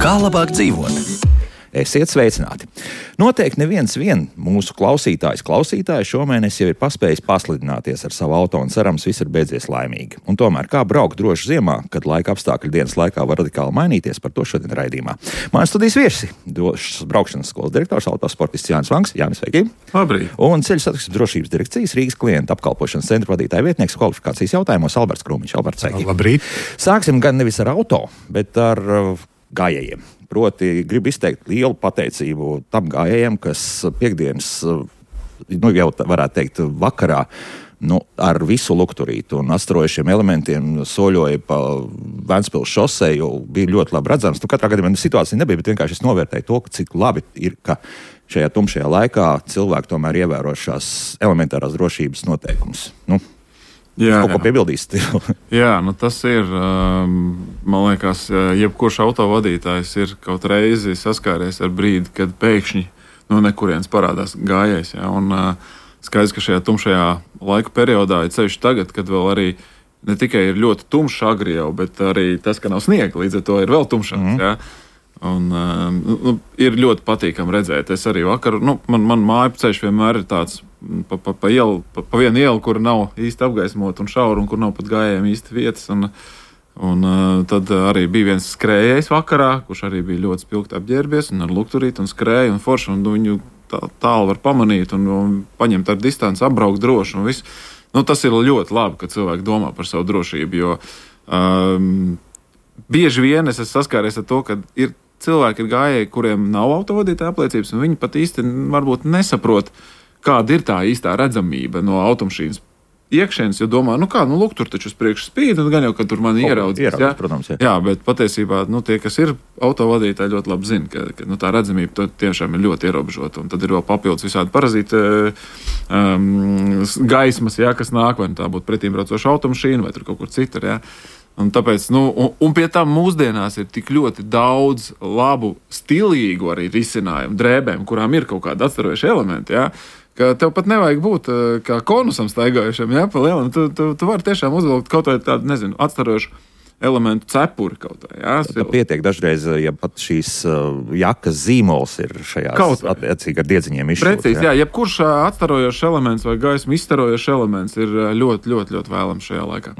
Kā labāk dzīvot? Esiet sveicināti! Noteikti neviens mūsu klausītājs šomēnes jau ir paspējis paslidināties ar savu auto un cerams, viss ir beidzies laimīgi. Un tomēr, kā braukt droši ziemā, kad laika apstākļi dienas laikā var radikāli mainīties, par to šodien raidījumā. Mans studijas viesi - drošas braukšanas skolas direktors, autosportists Jānis Vanks. Jānis, sveiki! Labrīt! Un ceļu satiksmes drošības direkcijas Rīgas klientu apkalpošanas centra vadītāja vietnieks kvalifikācijas jautājumos Alberts Krūmiņš. Alberts, sveiki! Labrīt! Sāksim gan nevis ar auto, bet ar gājējiem. Proti, gribu izteikt lielu pateicību tam gājējiem, kas piekdienas, jau varētu teikt, vakarā, ar visu lukturītu un atstarojušiem elementiem soļoja pa Ventspils šoseju, bija ļoti labi redzams. Katrā gadījumā situācija nebija, bet vienkārši es novērtēju to, cik labi ir, ka šajā tumšajā laikā cilvēki tomēr ievēro šās elementārās drošības noteikumus. Jā, kaut ko piebildīst? Jā, tas ir, man liekas, jebkurš autovadītājs ir kaut reizi saskāries ar brīdi, kad pēkšņi no nekurienes parādās gājējs. Ja? Un skaidrs, ka šajā tumšajā laika periodā ir ceļš tagad, kad vēl arī ne tikai ir ļoti tumšs agri jau, bet arī tas, ka nav sniega, līdz ar to ir vēl tumšāks. Ja? Un ir ļoti patīkami redzēt. Es arī vakar, man māju ceļš vienmēr ir tāds pa vienu ielu, kur nav īsti apgaismota un šaura, un kur nav pat gājējiem īsti vietas. Un tad arī bija viens skrējējs vakarā, kurš arī bija ļoti spilgti apģērbies un ar lukturīti un skrēja un forši, un viņu tālu var pamanīt un paņemt ar distanci, apbraukt droši un viss. Tas ir ļoti labi, ka cilvēki domā par savu drošību, jo bieži vien es esmu saskāries ar to, ka ir cilvēki, ir gājēji, kuriem nav autovadītāja apliecības, un viņi pat īsti varbūt nesaprot, kāda ir tā īstā redzamība no automašīnas iekšienes, jo domā, lūk, tur taču uz priekšu spīd, un gan jau, ka tur mani ieraudzīs. Protams, jā. Jā, bet patiesībā, tie, kas ir autovadītāji, ļoti labi zina, ka tā redzamība tiešām ir ļoti ierobežota, un tad ir vēl papildus visādi parazīti gaismas, jā, kas nāk, vai tā būtu pretīmbraucoša automašīna, vai tur kaut kur citur, jā. Un tāpēc, un pie tam mūsdienās ir tik ļoti daudz labu, stilīgu arī risinājumu drēbēm, kurām ir kaut kādi atstarojuši elementi, jā, ka tev pat nevajag būt kā konusam staigājušam, jā, pa lielam. Tu vari tiešām uzvilkt kaut vai tādu, atstarojušu elementu cepuri kaut vai, jā. Tā pietiek dažreiz, ja pat šīs jakas zīmols ir šajās attiecīgi ar diedziņiem izšķirts. Precīzi, jā, jebkurš atstarojošs elements vai gaismu izstarojošs elements ir ļoti, ļoti, ļoti vēlams šajā laikā.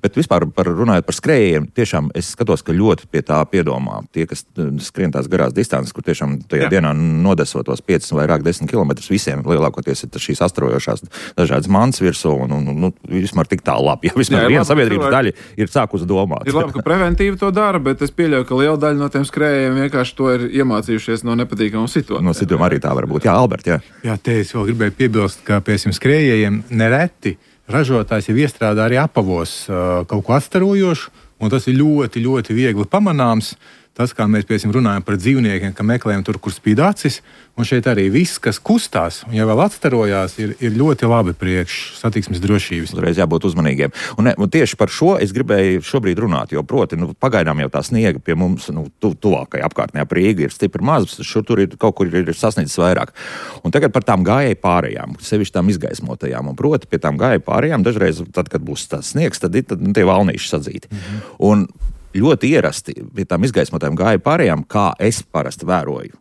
Bet vispār runājot par skrējējiem, tiešām es skatos, ka ļoti pie tā piedomā. Tie, kas skrien tās garās distances, kur tiešām tajā dienā nodesotos 5 vai vairāk 10 kilometrus, visiem lielākoties ir šīs atstarojošās dažādas mantas virsū un vismēr tik tā labi. Ja vismēr viena sabiedrības daļa ir sākusi domāt. Ir labi, ka preventīvi to dara, bet es pieļauju, ka liela daļa no tiem skrējējiem vienkārši to ir iemācījušies no nepatīkamām situācijām. No situācijām arī tā var būt. Jā, Albert, jā. Jā, te es vēl gribēju piebilst, ka pēc skrējējiem nereti ražotājs jau iestrādā arī apavos kaut ko atstarojošu, un tas ir ļoti, ļoti viegli pamanāms. Tas, kā mēs runājam par dzīvniekiem, ka meklējam tur, kur spīd acis, un šeit arī viss, kas kustās un jau vēl atstarojās, ir ļoti labi priekš satiksmes drošības. Uzreiz jābūt uzmanīgiem. Un tieši par šo es gribēju šobrīd runāt, jo proti, pagaidām jau tā sniega pie mums, tuvākajā apkārtnē ap Rīgu ir stipri maz, šur tur ir kaut kur ir sasniedzis vairāk. Un tagad par tām gājēju pārējām, sevišķi tām izgaismotajām, un proti pie tām gājēju pārējām dažreiz, tad, kad būs tāds sniegs, tad tie valnīši sadzīti. Un ļoti ierasti pie tām izgaismotām gāja pārējām, kā es parasti vēroju.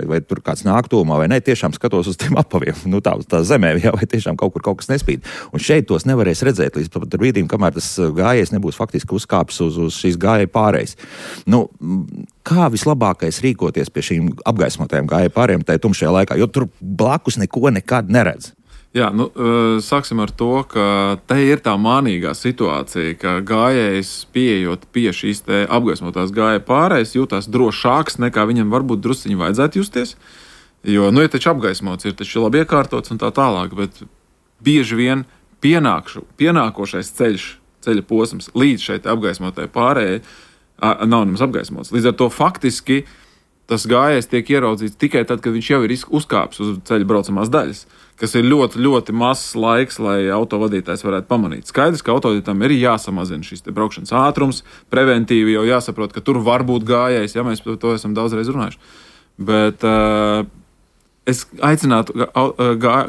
Vai tur kāds nāk tūmā vai ne, tiešām skatos uz tiem apaviem, tā zemē, jā, vai tiešām kaut kur kaut kas nespīd. Un šeit tos nevarēs redzēt līdz pat brīdim, kamēr tas gājējs nebūs faktiski uzkāpis uz šīs gāja pārējas. Kā vislabākais rīkoties pie šīm apgaismotajām gāja pārējām tajā tumšajā laikā, jo tur blakus neko nekad neredz? Jā, sāksim ar to, ka te ir tā mānīgā situācija, ka gājējs pieejot pie šīs te apgaismotās gāja pārējas jūtās drošāks nekā viņam varbūt drusciņi vajadzētu justies, jo, ir taču apgaismots, ir taču labi iekārtots un tā tālāk, bet bieži vien pienākošais ceļa posms līdz šeit apgaismotai pārējai nav nemaz apgaismots. Līdz ar to faktiski tas gājējs tiek ieraudzīts tikai tad, kad viņš jau ir uzkāpis uz ceļa braucamās daļas, kas ir ļoti, ļoti mazs laiks, lai autovadītājs varētu pamanīt. Skaidrs, ka autovadītājiem ir jāsamazina šis te braukšanas ātrums, preventīvi jau jāsaprot, ka tur var būt gājējs, ja mēs par to esam daudzreiz runājuši. Bet es aicinātu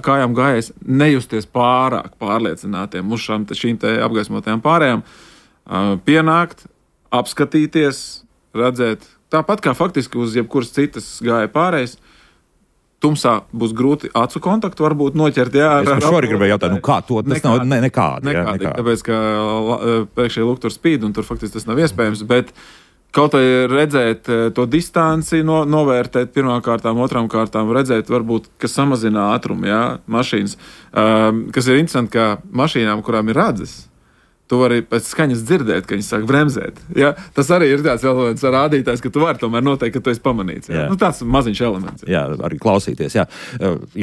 kājām gājējs nejusties pārāk pārliecinātiem uz šīm te apgaismotajām pārējām, pienākt, apskatīties, redzēt, tāpat kā faktiski uz jebkuras citas gāja pārējais, tumsā būs grūti acu kontaktu varbūt noķert. Jā, es šorī gribēju jautāt, kā to? Tas nav nekādi. Tāpēc, ka priekšēji lūk tur spīd, un tur faktiski tas nav iespējams, bet kaut vai redzēt to distanci, novērtēt pirmām kārtām, otrām kārtām, redzēt varbūt, kas samazina ātrumu, jā, mašīnas, kas ir interesanti, ka mašīnām, kurām ir radzes, tu vari pēc skaņas dzirdēt, ka viņi sāk bremzēt. Ja? Tas arī ir tāds rādītājs, ka tu vari tomēr noteikt, ka tu esi pamanīts. Ja? Tāds maziņš elements. Jā, arī klausīties. Jā,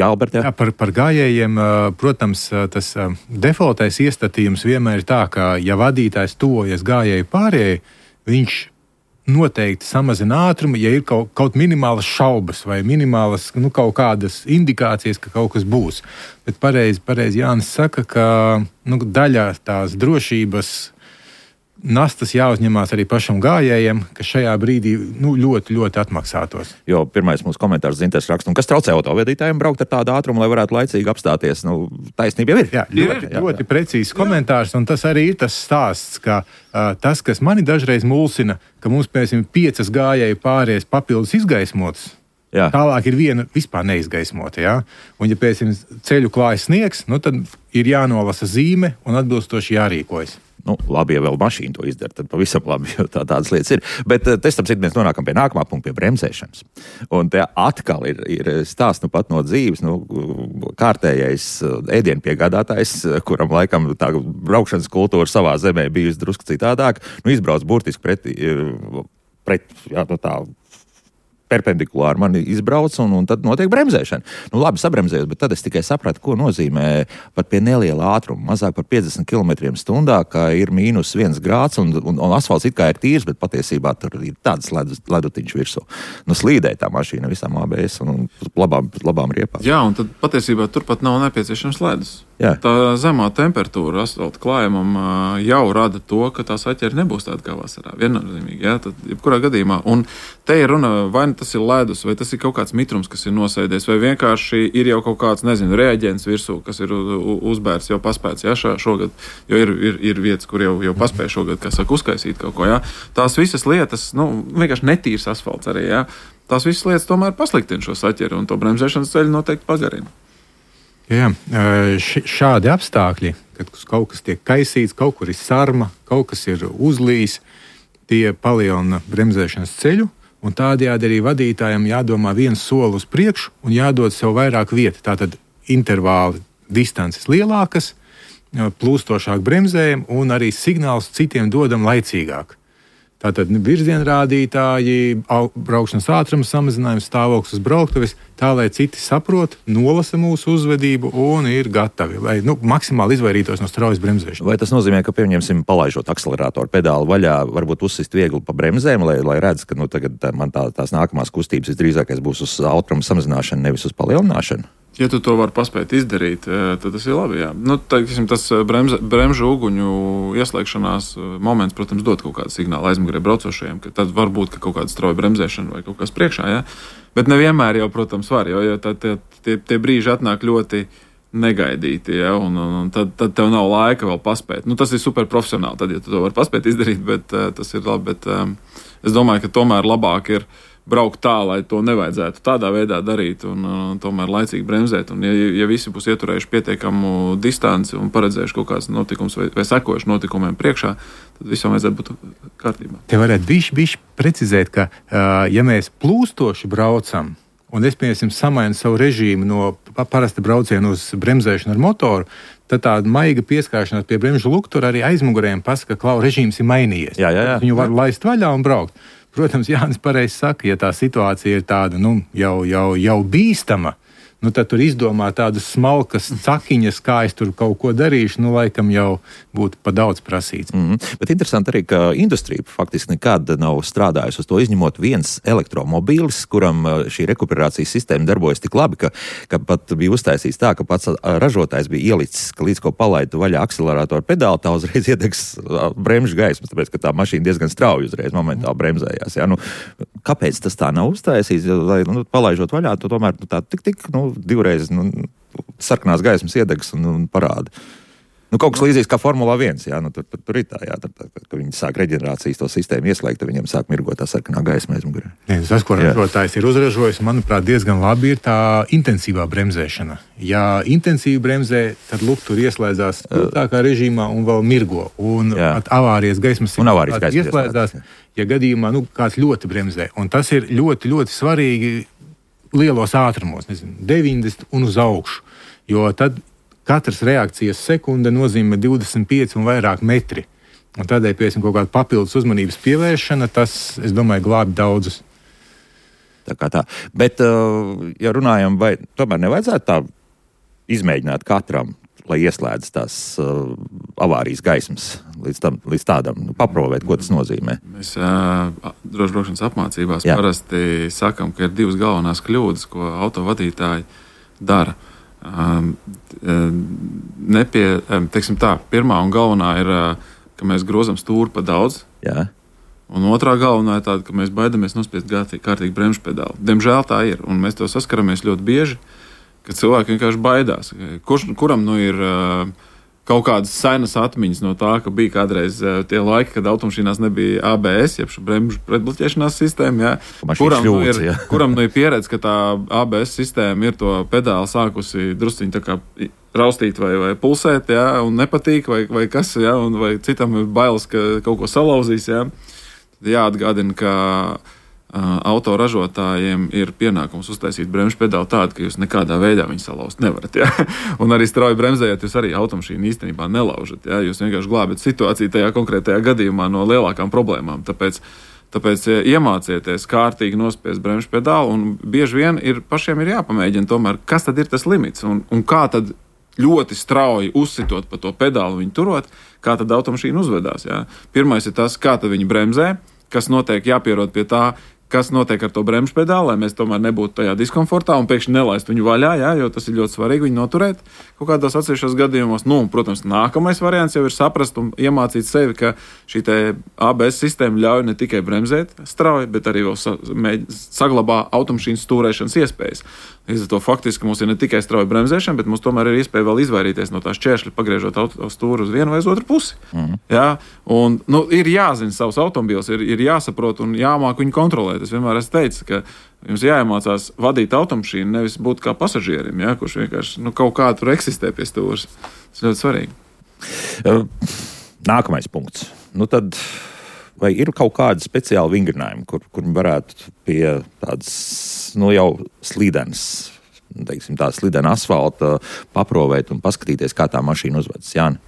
Albert. Jā, par gājējiem, protams, tas defaultais iestatījums vienmēr ir tā, ka, ja vadītājs tuvojas gājēju pārējai, viņš noteikti samazina ātrumu, ja ir kaut minimālas šaubas vai minimālas kaut kādas indikācijas, ka kaut kas būs. Bet pareizi Jānis saka, ka daļā tās drošības nastas jāuzņemās arī pašam gājējiem, kas šajā brīdī ļoti, ļoti atmaksātos. Jo pirmais mūsu komentārs Zinters raksta, kas traucē autovadītājiem braukt ar tādu ātrumu, lai varētu laicīgi apstāties. Taisnība jau ir. Jā, ļoti precīzs komentārs, un tas arī ir tas stāsts, ka tas, kas mani dažreiz mulsina, ka mums, piemēram, 5 gājēju pārējais papildus izgaismotas, tālāk ir viena vispār neizgaismota. Ja? Un, ja, piemēram, ceļu klājas sniegs, tad ir jānolasa zīme un atbilstoši jārīkojas. Labi, ja vēl mašīna to izdara, tad pavisam labi, jo tādas lietas ir. Bet starp citu mēs nonākam pie nākamā punkta, pie bremzēšanas. Un te atkal ir stāsts pat no dzīves, kārtējais ēdienpiegādātājs, kuram laikam tā braukšanas kultūra savā zemē bijusi drusku citādāk, izbrauc burtiski pret tā perpendikulāri mani izbrauc, un tad notiek bremzēšana. Labi, sabremzējos, bet tad es tikai sapratu, ko nozīmē pat pie neliela ātruma, mazāk par 50 km/h, ka ir -1 grāds, un asfalts it kā ir tīrs, bet patiesībā tur ir tāds ledutiņš virsū. Slīdēja tā mašīna visām ABS un labām riepām. Jā, un tad patiesībā turpat nav nepieciešams ledus. Jā. Tā zemā temperatūra asfalta klājumam jau rada to, ka tā saķere nebūs tāda kā vasarā. Viennozīmīgi, jā, tad jebkurā gadījumā. Un te ir runa, vai tas ir ledus, vai tas ir kaut kāds mitrums, kas ir nosēdies, vai vienkārši ir jau kaut kāds, reaģents virsū, kas ir uzbērts, jau paspēts, jā, šogad, jo ir vietas, kur jau paspēja šogad, kā saka, uzkaisīt kaut ko, jā. Tās visas lietas, vienkārši netīrs asfalts arī, jā. Tās visas lietas tomēr pasliktina šo saķeri, un to bremzēšanas ceļu noteikti pagarina. Jā, šādi apstākļi, kad kaut kas tiek kaisīts, kaut kur ir sarma, kaut kas ir uzlījis, tie palielina bremzēšanas ceļu, un tādējādi arī vadītājiem jādomā viens soli uz priekšu un jādod sev vairāk vietu. Tātad intervāli distances lielākas, plūstošāk bremzējam un arī signāls citiem dodam laicīgāk. Tātad virzienrādītāji, braukšanas ātrums samazinājums, stāvoklis uz brauktuves, tā lai citi saprot, nolasa mūsu uzvedību un ir gatavi, lai maksimāli izvairītos no straujas bremzēšanas. Vai tas nozīmē, ka, pieņemsim, palaižot akceleratoru pedāli vaļā, varbūt uzsist viegli pa bremzēm, lai redz, ka tagad man tās nākamās kustības visdrīzākais būs uz ātruma samazināšanu, nevis uz palielināšanu? Ja tu to vari paspēt izdarīt, tad tas ir labi. Jā. Tas bremžu uguņu ieslēgšanās moments, protams, dod kaut kādu signālu aizmugurē braucošajiem, ka tad var būt kaut kāda strauja bremzēšana vai kaut kas priekšā. Jā. Bet nevienmēr jau, protams, var, jo tie brīži atnāk ļoti negaidīti, ja, un tad tev nav laika vēl paspēt. Tas ir super profesionāli, tad, ja tu to vari paspēt izdarīt, bet tas ir labi. Bet es domāju, ka tomēr labāk ir braukt tā, lai to nevajadzētu tādā veidā darīt un tomēr laicīgi bremzēt. Un ja visi būs ieturējuši pietiekamu distanci un paredzējuši kaut kāds notikums vai sekojuši notikumiem priekšā, tad visam vajadzētu būt kārtībā. Te varētu bišķi precizēt, ka ja mēs plūstoši braucam, un es, piemēram, samainu savu režīmu no parasta brauciena uz bremzēšanu ar motoru, tad tāda maiga pieskāršanās pie bremžu luktura arī aizmugurējiem pasaka, ka režīms ir mainījies. Jā. Viņu var laist vaļā un braukt. Protams, Jānis pareizi saka, ja tā situācija ir tāda jau bīstama, nu tad tur izdomā tādas smalkas cakiņas, kā es tur kaut ko darīšu, nu laikam jau būtu pa daudz prasīts. Bet interesanti arī, ka industrija faktiski nekad nav strādājusi uz to, izņemot viens elektromobīlis, kuram šī rekuperācijas sistēma darbojas tik labi, ka pat bija uztaisīts tā, ka pats ražotājs bija ielicis, ka līdz ko palaidu vaļā akceleratoru pedāli, tā uzreiz iedegs bremžu gaismas, tāpēc, ka tā mašīna diezgan strauji uzreiz momentāli bremzējās. Ja? Nu, kāpēc tas tā nav uztaisīts? Lai palaižot vaļā, tu tomēr tā tik divreiz sarkanās gaismas iedegs un parāda. Nu, kaut kas līdzīgs kā Formula 1, jā, nu, tur ir tā, jā, ka viņi sāk reģenerācijas to sistēmu ieslēgt, tad viņiem sāk mirgot tā sarkanā gaisma aizmugurē. Tas, ko ražotājs ir uzražojis, manuprāt, diezgan labi ir tā intensīvā bremzēšana. Ja intensīvi bremzē, tad tur ieslēdzās tā režīmā un vēl mirgo. Un pat avārijas gaismas ieslēdzās, ja gadījumā kāds ļoti bremzē. Un tas ir ļoti, ļoti svarīgi lielos ātrumos, 90 un uz augšu, jo tad katras reakcijas sekunde nozīmē 25 un vairāk metri. Un tādēļ, piemēram, kaut kāda papildus uzmanības pievēršana, tas, es domāju, glābi daudzus. Tā. Bet, ja runājam, vai tomēr nevajadzētu tā izmēģināt katram, lai ieslēdz tās avārijas gaismas līdz tādam, paprovēt, ko tas nozīmē? Mēs drošbraukšanas apmācībās parasti sakam, ka ir divas galvenās kļūdas, ko autovadītāji dara. Teiksim tā, pirmā un galvenā ir, ka mēs grozam stūri pa daudz. Jā. Un otrā galvenā ir tāda, ka mēs baidamies nospiest kārtīgi bremžu pedāli. Diemžēl tā ir, un mēs to saskaramies ļoti bieži, ka cilvēki vienkārši baidās. Kuram ir kaut kādas senas atmiņas no tā, ka bija kādreiz tie laiki, kad automašīnās nebija ABS, jeb bremžu pretbloķēšanās sistēma. Kuram ir pieredze, ka tā ABS sistēma ir to pedāli sākusi drusciņi tā kā raustīt vai pulsēt, un nepatīk, vai kas, un vai citam ir bailes, ka kaut ko salauzīs. Tad jāatgādina, ka autoražotājiem ir pienākums uztaisīt bremžu pedāli tādu, ka jūs nekādā veidā viņu salauzt nevarat. Un arī strauji bremzējot, jūs arī automašīnu īstenībā nelaužat. Jūs vienkārši glābat situāciju tajā konkrētajā gadījumā no lielākām problēmām. Tāpēc iemācieties kārtīgi nospiest bremžu pedāli, un bieži vien pašiem ir jāpamēģina tomēr, kas tad ir tas limits, un kā tad ļoti strauji uzsitot pa to pedāli viņu turot, kā tad automašīna uzvedās. Pirmais ir tas, kā tad viņi bremzē, kas notiek jāpierod pie tā, kas notiek ar to bremžu pedāli, lai mēs tomēr nebūtu tajā diskomfortā un pēkšņi nelaist viņu vaļā, jo tas ir ļoti svarīgi viņu noturēt kaut kādos atsevišķos gadījumos. Protams, nākamais variants jau ir saprast un iemācīt sevi, ka šī ABS sistēma ļauj ne tikai bremzēt strauji, bet arī vēl saglabā automašīnas stūrēšanas iespējas. Līdz ar to faktiski mums ir ne tikai strauja bremzēšana, bet mums tomēr ir iespēja vēl izvairīties no tā šķēršļa, pagriežot stūri uz vienu vai uz otru pusi. Un, ir jāzina savs automobīls, ir jāsaprot un jāmāk viņu kontrolēt. Es vienmēr esmu teicis, ka jums jāiemācās vadīt automašīnu, nevis būt kā pasažierim, kurš vienkārši kaut kā tur eksistē pie stūres. Tas ļoti svarīgi. Nākamais punkts. Tad vai ir kaut kādi speciāli vingrinājumi, kur varētu pie tādas jau slīdenas, teiksim, tā slīdena asfalta paprovēt un paskatīties, kā tā mašīna uzvedas? Jāni?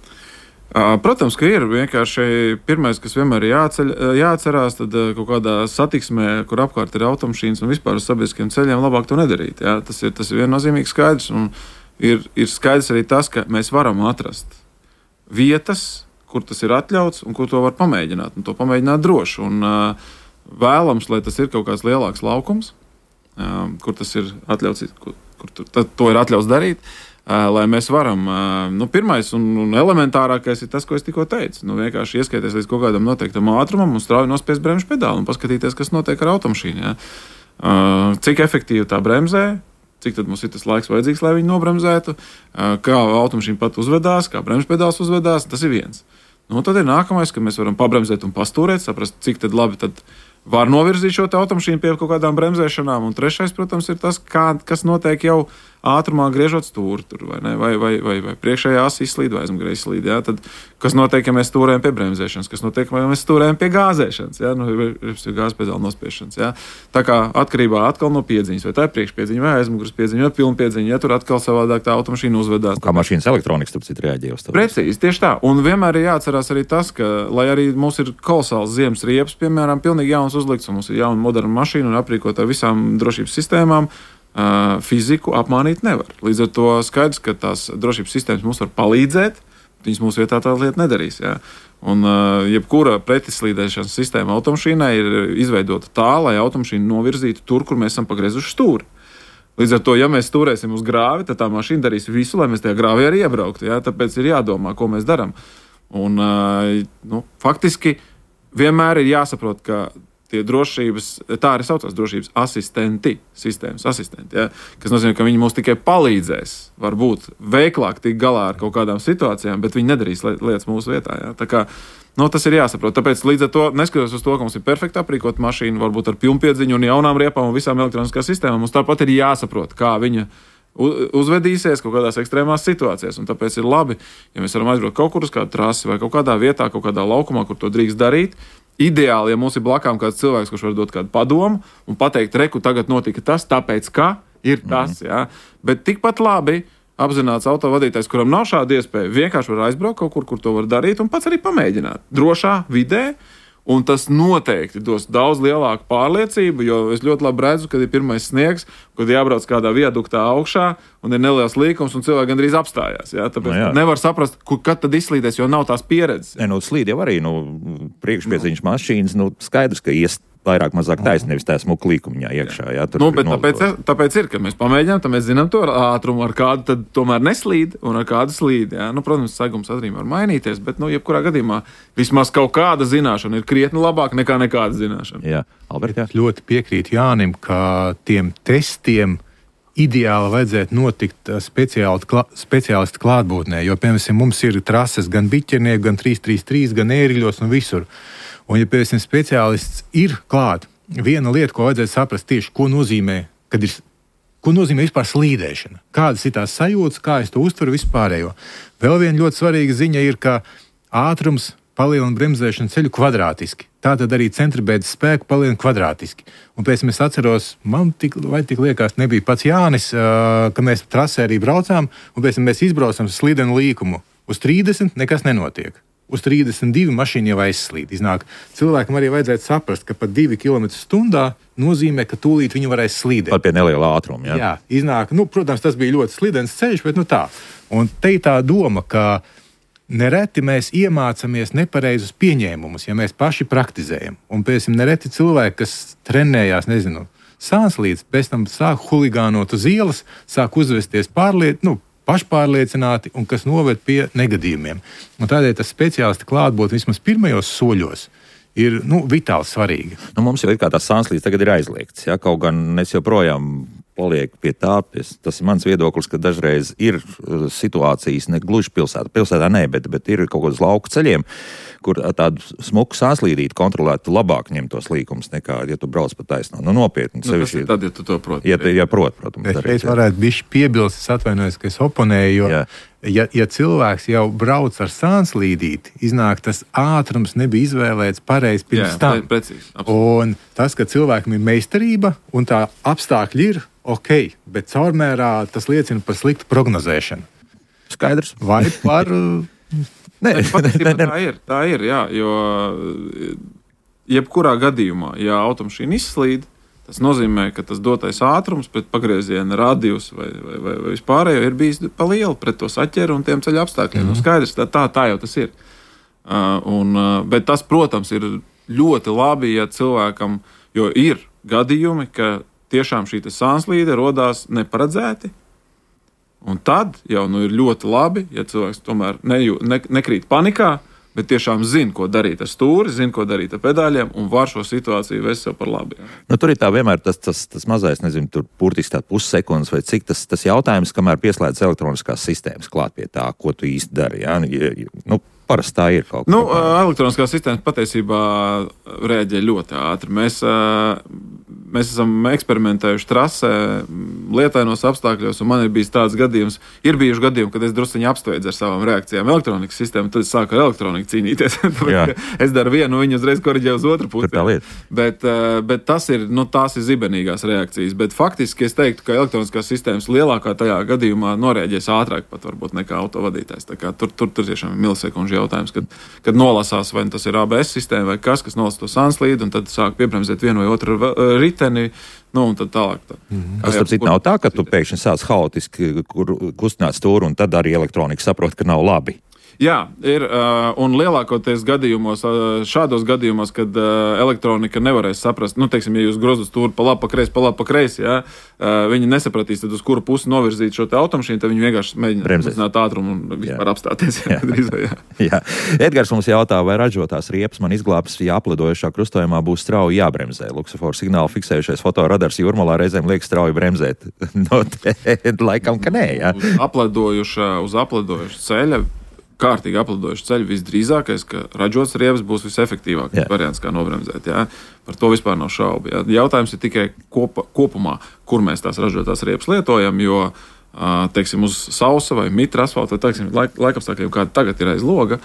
Protams, ka ir vienkārši pirmais, kas vienmēr ir jāatcerās, tad kaut kādā satiksmē, kur apkārt ir automašīnas un vispār uz sabiedriskiem ceļiem, labāk to nedarīt. Tas ir viennozīmīgi skaidrs, un ir skaidrs arī tas, ka mēs varam atrast vietas, kur tas ir atļauts un kur to var pamēģināt, un to pamēģināt droši. Un vēlams, lai tas ir kaut kāds lielāks laukums, kur tas ir atļauts, kur to ir atļauts darīt, lai mēs varam. Pirmais un elementārākais ir tas, ko es tikko teicu. Vienkārši ieskaities līdz kaut kādam noteiktam ātrumam un strauji nospiest bremžu pedāli un paskatīties, kas notiek ar automašīnu. Cik efektīvi tā bremzē, cik tad mums ir tas laiks vajadzīgs, lai viņi nobremzētu, kā automašīna pat uzvedās, kā bremžu pedāls uzvedās, tas ir viens. Tad ir nākamais, ka mēs varam pabremzēt un pastūrēt, saprast, cik tad labi tad var novirzīt šo automašīnu pie kaut kādām bremzēšanām. Un trešais, protams, ir tas, kas notiek jau ātrumā griežot stūri, vai priekšējā asa izslīd, vai aizmugurē izslīd. Tad, kas notiek, ja mēs stūrējam pie bremzēšanas, kas notiek, ja mēs stūrējam pie gāzēšanas, ir gāzes pedāla nospiešanas. Tā kā atkarībā atkal no piedziņas, vai tā ir priekšpiedziņa, vai aizmugures piedziņa, vai pilnpiedziņa, tur atkal savādāk tā automašīna uzvedās. Kā mašīnas elektronikas, tāpēc reaģē uz to. Precīzi, tieši tā. Un vienmēr ir jāatcerās arī tas, ka, lai arī mums ir kolosāls ziemas riepas, piemēram, pilnīgi jauns uzlikts, un mums ir jauna moderna mašīna un aprīkota ar visām drošības sistēmām, fiziku apmānīt nevar. Līdz ar to skaidrs, ka tās drošības sistēmas mums var palīdzēt, viņas mūsu vietā tā lieta nedarīs. Ja? Un jebkura pretslīdēšanas sistēma automašīnai ir izveidota tā, lai automašīnu novirzītu tur, kur mēs esam pagriezuši stūri. Līdz ar to, ja mēs stūrēsim uz grāvi, tad tā mašīna darīs visu, lai mēs tajā grāvī arī iebrauktu. Ja? Tāpēc ir jādomā, ko mēs darām. Un faktiski vienmēr ir jāsaprot, ka tie drošības, tā arī saucās drošības sistēmas asistenti, ja? Kas nozīmē, ka viņi mums tikai palīdzēs, varbūt veiklāk tikt galā ar kaut kādām situācijām, bet viņi nedarīs lietas mūsu vietā. Ja? Tā kā, tas ir jāsaprot. Tāpēc līdz ar to, neskatoties uz to, ka mums ir perfekti aprīkota mašīna, varbūt ar pilnpiedziņu un jaunām riepām un visām elektroniskām sistēmām, mums tāpat ir jāsaprot, kā viņa uzvedīsies kaut kādās ekstrēmās situācijās. Un tāpēc ir labi, ja mēs varam aizbraukt kaut kur uz kādu trasi vai kaut kādā vietā, kaut kādā laukumā, kur to drīkst darīt. Ideāli, ja mums ir blakām kāds cilvēks, kurš var dot kādu padomu un pateikt, reku, tagad notika tas, tāpēc, ka ir tas. Ja? Bet tikpat labi apzināts autovadītājs, kuram nav šāda iespēja, vienkārši var aizbraukt kaut kur to var darīt un pats arī pamēģināt. Drošā vidē. Un tas noteikti dos daudz lielāku pārliecību, jo es ļoti labi redzu, kad ir pirmais sniegs, kad jābrauc kādā viaduktā augšā un ir neliels līkums un cilvēki gandrīz apstājās. Ja? Tāpēc nevar saprast, kad tad izslīdēs, jo nav tās pieredzes. Slīd jau arī priekšpiedziņas mašīnas, skaidrs, ka vairāk mazāk taisnība, nevis tā smuka līkumiņā iekšā. Jā, bet tāpēc ir, ka mēs pamēģinām, tad mēs zinām to ātrumu, ar kādu tad tomēr neslīd un ar kādu slīd. Jā. Protams, segums arī var mainīties, bet jebkurā gadījumā vismaz kaut kāda zināšana ir krietni labāka nekā nekāda zināšana. Jā, Albert, jā. Ļoti piekrītu Jānim, ka tiem testiem ideāli vajadzētu notikt speciālistu klātbūtnē, jo, piemēram, mums ir trases gan biķernieku, gan 333, gan ērgļos un visur. Un, ja, piemēram, speciālists ir klāt, viena lieta, ko vajadzētu saprast tieši, ko nozīmē vispār slīdēšana. Kādas ir tās sajūtas, kā es to uztveru vispārējo. Vēl viena ļoti svarīga ziņa ir, ka ātrums palielina bremzēšanu ceļu kvadrātiski. Tātad arī centribēdas spēku palielina kvadrātiski. Un pēc tam es atceros, man tik liekas, nebija pats Jānis, ka mēs trasē arī braucām, un pēc tam mēs izbraucam slīdenu līkumu. Uz 30 nekas nenotiek. Uz 32 mašīna jau aizslīd. Iznāk, cilvēkam arī vajadzētu saprast, ka pat 2 km/h nozīmē, ka tūlīt viņi varēs slīdēt. Pat pie neliela ātruma. Ja? Jā, iznāk, protams, tas bija ļoti slidens ceļš, bet tā. Un te ir tā doma, ka nereti mēs iemācāmies nepareizus pieņēmumus, ja mēs paši praktizējam. Un pēc tam nereti cilvēki, kas trenējās, sānslīdz, pēc tam sāk huligānot uz ielas, sāk uzvesties pašpārliecināti un kas noved pie negadījumiem. Un tādēļ tas speciālisti klātbūtne vismaz pirmajos soļos ir vitāli svarīga. Mums jau ir kā tās sānslīdes tagad ir aizliegts. Ja? Kaut gan es joprojām palieku pie tā, tas ir mans viedoklis, ka dažreiz ir situācijas, ne gluži pilsētā ne, bet ir kaut kādos lauku ceļiem, kur tādu smuku sānslīdīti kontrolētu labāk ņemt tos līkumus nekā, ja tu brauc pa taisno. Nopietni. Tas ir tad, ja tu to proti. Ja prot, protams. Es varētu bišķi piebilst, es atvainojos, ka es oponēju, jo ja cilvēks jau brauc ar sānslīdīti, iznāk tas ātrums nebija izvēlēts pareizi pirms tam. Precīzi. Un tas, ka cilvēkam ir meistarība un tā apstākļi ir ok, bet caurmērā tas liecina par sliktu prognozēšanu. Skaidrs. Vai par... Tā ir, jā, jo jebkurā gadījumā, ja automašīna izslīd, tas nozīmē, ka tas dotais ātrums pret pagrieziena radius vai vispārējo ir bijis pa lielu pret to saķeru un tiem ceļa apstākļiem. Skaidrs, tā jau tas ir. Bet tas, protams, ir ļoti labi, ja cilvēkam, jo ir gadījumi, ka tiešām šī sānslīde rodās neparedzēti. Un tad jau ir ļoti labi, ja cilvēks tomēr nekrīt panikā, bet tiešām zina, ko darīt ar stūri, zina, ko darīt ar pedāļiem un var šo situāciju vest sev par labi. Tur ir tā vienmēr tas mazais, tur burtiski tā pussekundes vai cik tas jautājums, kamēr pieslēdz elektroniskās sistēmas klāt pie tā, ko tu īsti dari. Ja? Parasti tā ir kaut kā. Elektroniskās sistēmas patiesībā reaģē ļoti ātri. Mēs esam eksperimentējuši trasē, lietainos apstākļos, un man ir bijis tāds gadījums, bijuši gadījumi, kad es drusciņi apsteidzu ar savām reakcijām elektronikas sistēmu, tad es sāku ar elektroniku cīnīties. Es daru vienu, viņi uzreiz koriģē uz otru pusi. Bet tās ir zibenīgās reakcijas. Bet faktiski es teiktu, ka elektroniskās sistēmas lielākā tajā gadījumā noreaģēs ātrāk pat varbūt nekā autovadītājs. Tā kā tur tiešām ir milisekundžu jautājums, kad nolasās, vai tas ir ABS sistēma vai kas nolasa to sānslīdi, un tad sāk piebremzēt vienu vai otru riteni, Nu, un tad tālāk. Tas, starp citu, nav tā, ka tu pēkšņi sāc haotiski kustināt stūru, un tad arī elektronika saprot, ka nav labi. Jā, ir, un lielākoties gadījumos, šādos gadījumos, kad elektronika nevarēs saprast, nu, teiksim, ja jūs grozat stūri pa labi, pa kreisi, jā, viņi nesapratīs, tad uz kuru pusi novirzīt šo te automašīnu, tad viņi vienkārši mēģina mazināt ātrumu un vispār apstāties. Jā. Edgars mums jautā, vai ražotās riepas man izglābs, ja aplidojušā krustojumā būs strauji jābremzē. Luksuforu signālu fiksējušais fotoradars Jūrmalā reizēm liek strauji bremzēt. No, laikam, ka nē, jā. Uz aplidojuša ceļa, kārtīgi aplidojuši ceļu, visdrīzākais, ka ražots riepas būs visefektīvākais variants, kā nobremzēt. Jā. Par to vispār nav šaubu. Jā. Jautājums ir tikai kopumā, kur mēs tās ražotās riepas lietojam, jo, teiksim, uz sausa vai mitra asfalta, vai, teiksim, laikapstākļiem, kāda tagad ir aiz loga,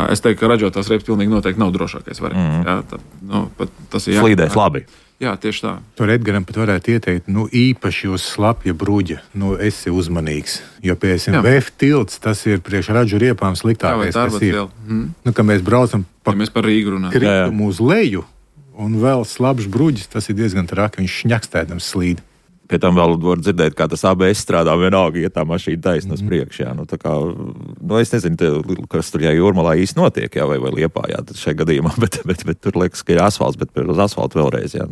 es teiktu, ka ražotās riepas pilnīgi noteikti nav drošākais variants. Jā. Tas ir slīdēs labi. Jā, tieši tā. Tur Edgaram pat varētu ieteikt, īpaši uz slapja bruģa, esi uzmanīgs. Jo, piemēram, VF tilts, tas ir priekš ražu riepām sliktākais, kas ir. Ka mēs braucam mēs par Rīgu runājam. Kritumu uz leju, un vēl slapjš bruģis, tas ir diezgan traki, viņš šņakstēdams slīd. Pie tam vēl var dzirdēt, kā tas ABS strādā vienalga, ja tā mašīna taisna uz priekšu. Jā. Es nezinu, kas tur Jūrmalā īsti notiek, jā, vai Liepājā šajā gadījumā, bet tur liekas, ka ir asfalts, bet uz asfaltu vēlreiz. Jā,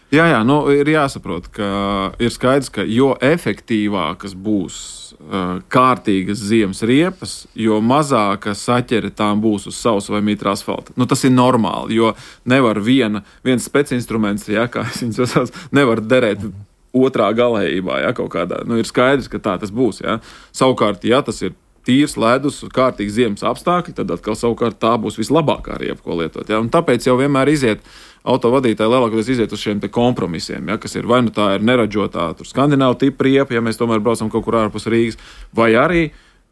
Jā, ir jāsaprot, ka ir skaidrs, ka jo efektīvākas būs kārtīgas ziemas riepas, jo mazāka saķere tām būs uz sausa vai mitra asfalta. Tas ir normāli, jo nevar viens specinstruments, jā, kā es viņus esmu, nevar derēt otrā galējībā, ja, kaut kādā. Ir skaidrs, ka tā tas būs. Ja. Savukārt, ja tas ir tīrs ledus, kārtīgi ziemas apstākļi, tad atkal savukārt tā būs vislabākā riepa, ko lietot. Ja. Un tāpēc jau vienmēr autovadītāji lielākoties iziet uz šiem te kompromisiem, ja, kas ir vai nu tā ir neražotā skandināvu tipa riepa, ja mēs tomēr braucam kaut kur ārpus Rīgas, vai arī,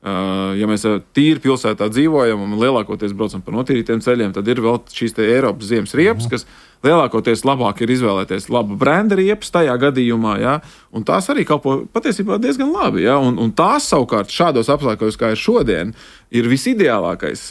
ja mēs tīri pilsētā dzīvojam un lielākoties braucam pa notīrītiem ceļiem, tad ir vēl šīs te Eiropas ziemas riepas, kas lielākoties labāk ir izvēlēties laba brenda riepas tajā gadījumā, ja, un tās arī kalpo patiesībā diezgan labi, ja, un tās savukārt šādos apstākļos, kā ir šodien, ir visideālākais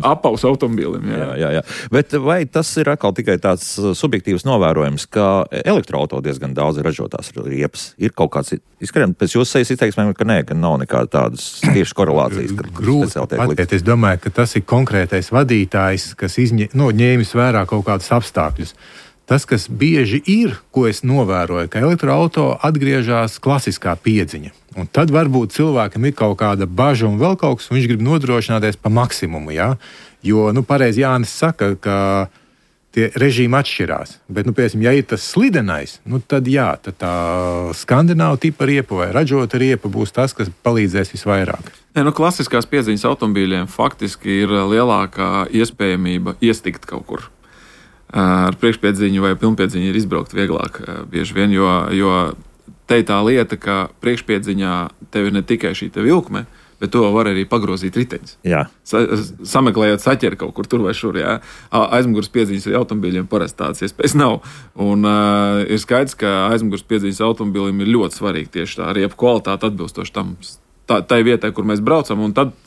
apaus automobīlim. Jā. Bet vai tas ir atkal tikai tāds subjektīvs novērojums, ka elektroauto diezgan daudz ražotās riepas? Ir kaut kāds izskrien, pēc jūsu sejas izteiksmēm, ka nē, ka nav nekāda tādas tieši korelācijas. Grūti pateikt. Es domāju, ka tas ir konkrētais vadītājs, kas ņēmis vērā kaut kādus apstākļus. Tas, kas bieži ir, ko es novēroju, ka elektroauto atgriežas klasiskā piedziņa. Un tad varbūt cilvēkam ir kaut kāda baža un vēl kaut kas, un viņš grib nodrošināties pa maksimumu. Ja? Jo, pareizi Jānis saka, ka tie režīmi atšķirās. Bet, piemēram, ja ir tas slidenais, tad jā, tad tā skandināvu tipa riepa vai ražota riepa būs tas, kas palīdzēs visvairāk. Klasiskās piedziņas automobīļiem faktiski ir lielākā iespējamība iestikt kaut kur. Ar priekšpiedziņu vai pilnpiedziņu ir izbraukt vieglāk bieži vien, jo te ir tā lieta, ka priekšpiedziņā tev ir ne tikai šī te vilkme, bet to var arī pagrozīt riteņus. Sameklējot saķeri kaut kur tur vai šur. Jā. Aizmugures piedziņas automobīļiem parasti tādas iespējas nav. Un ir skaidrs, ka aizmugures piedziņas automobīlim ir ļoti svarīgi tieši tā riepu kvalitāte atbilstoši tam tai vietai, kur mēs braucam, un tad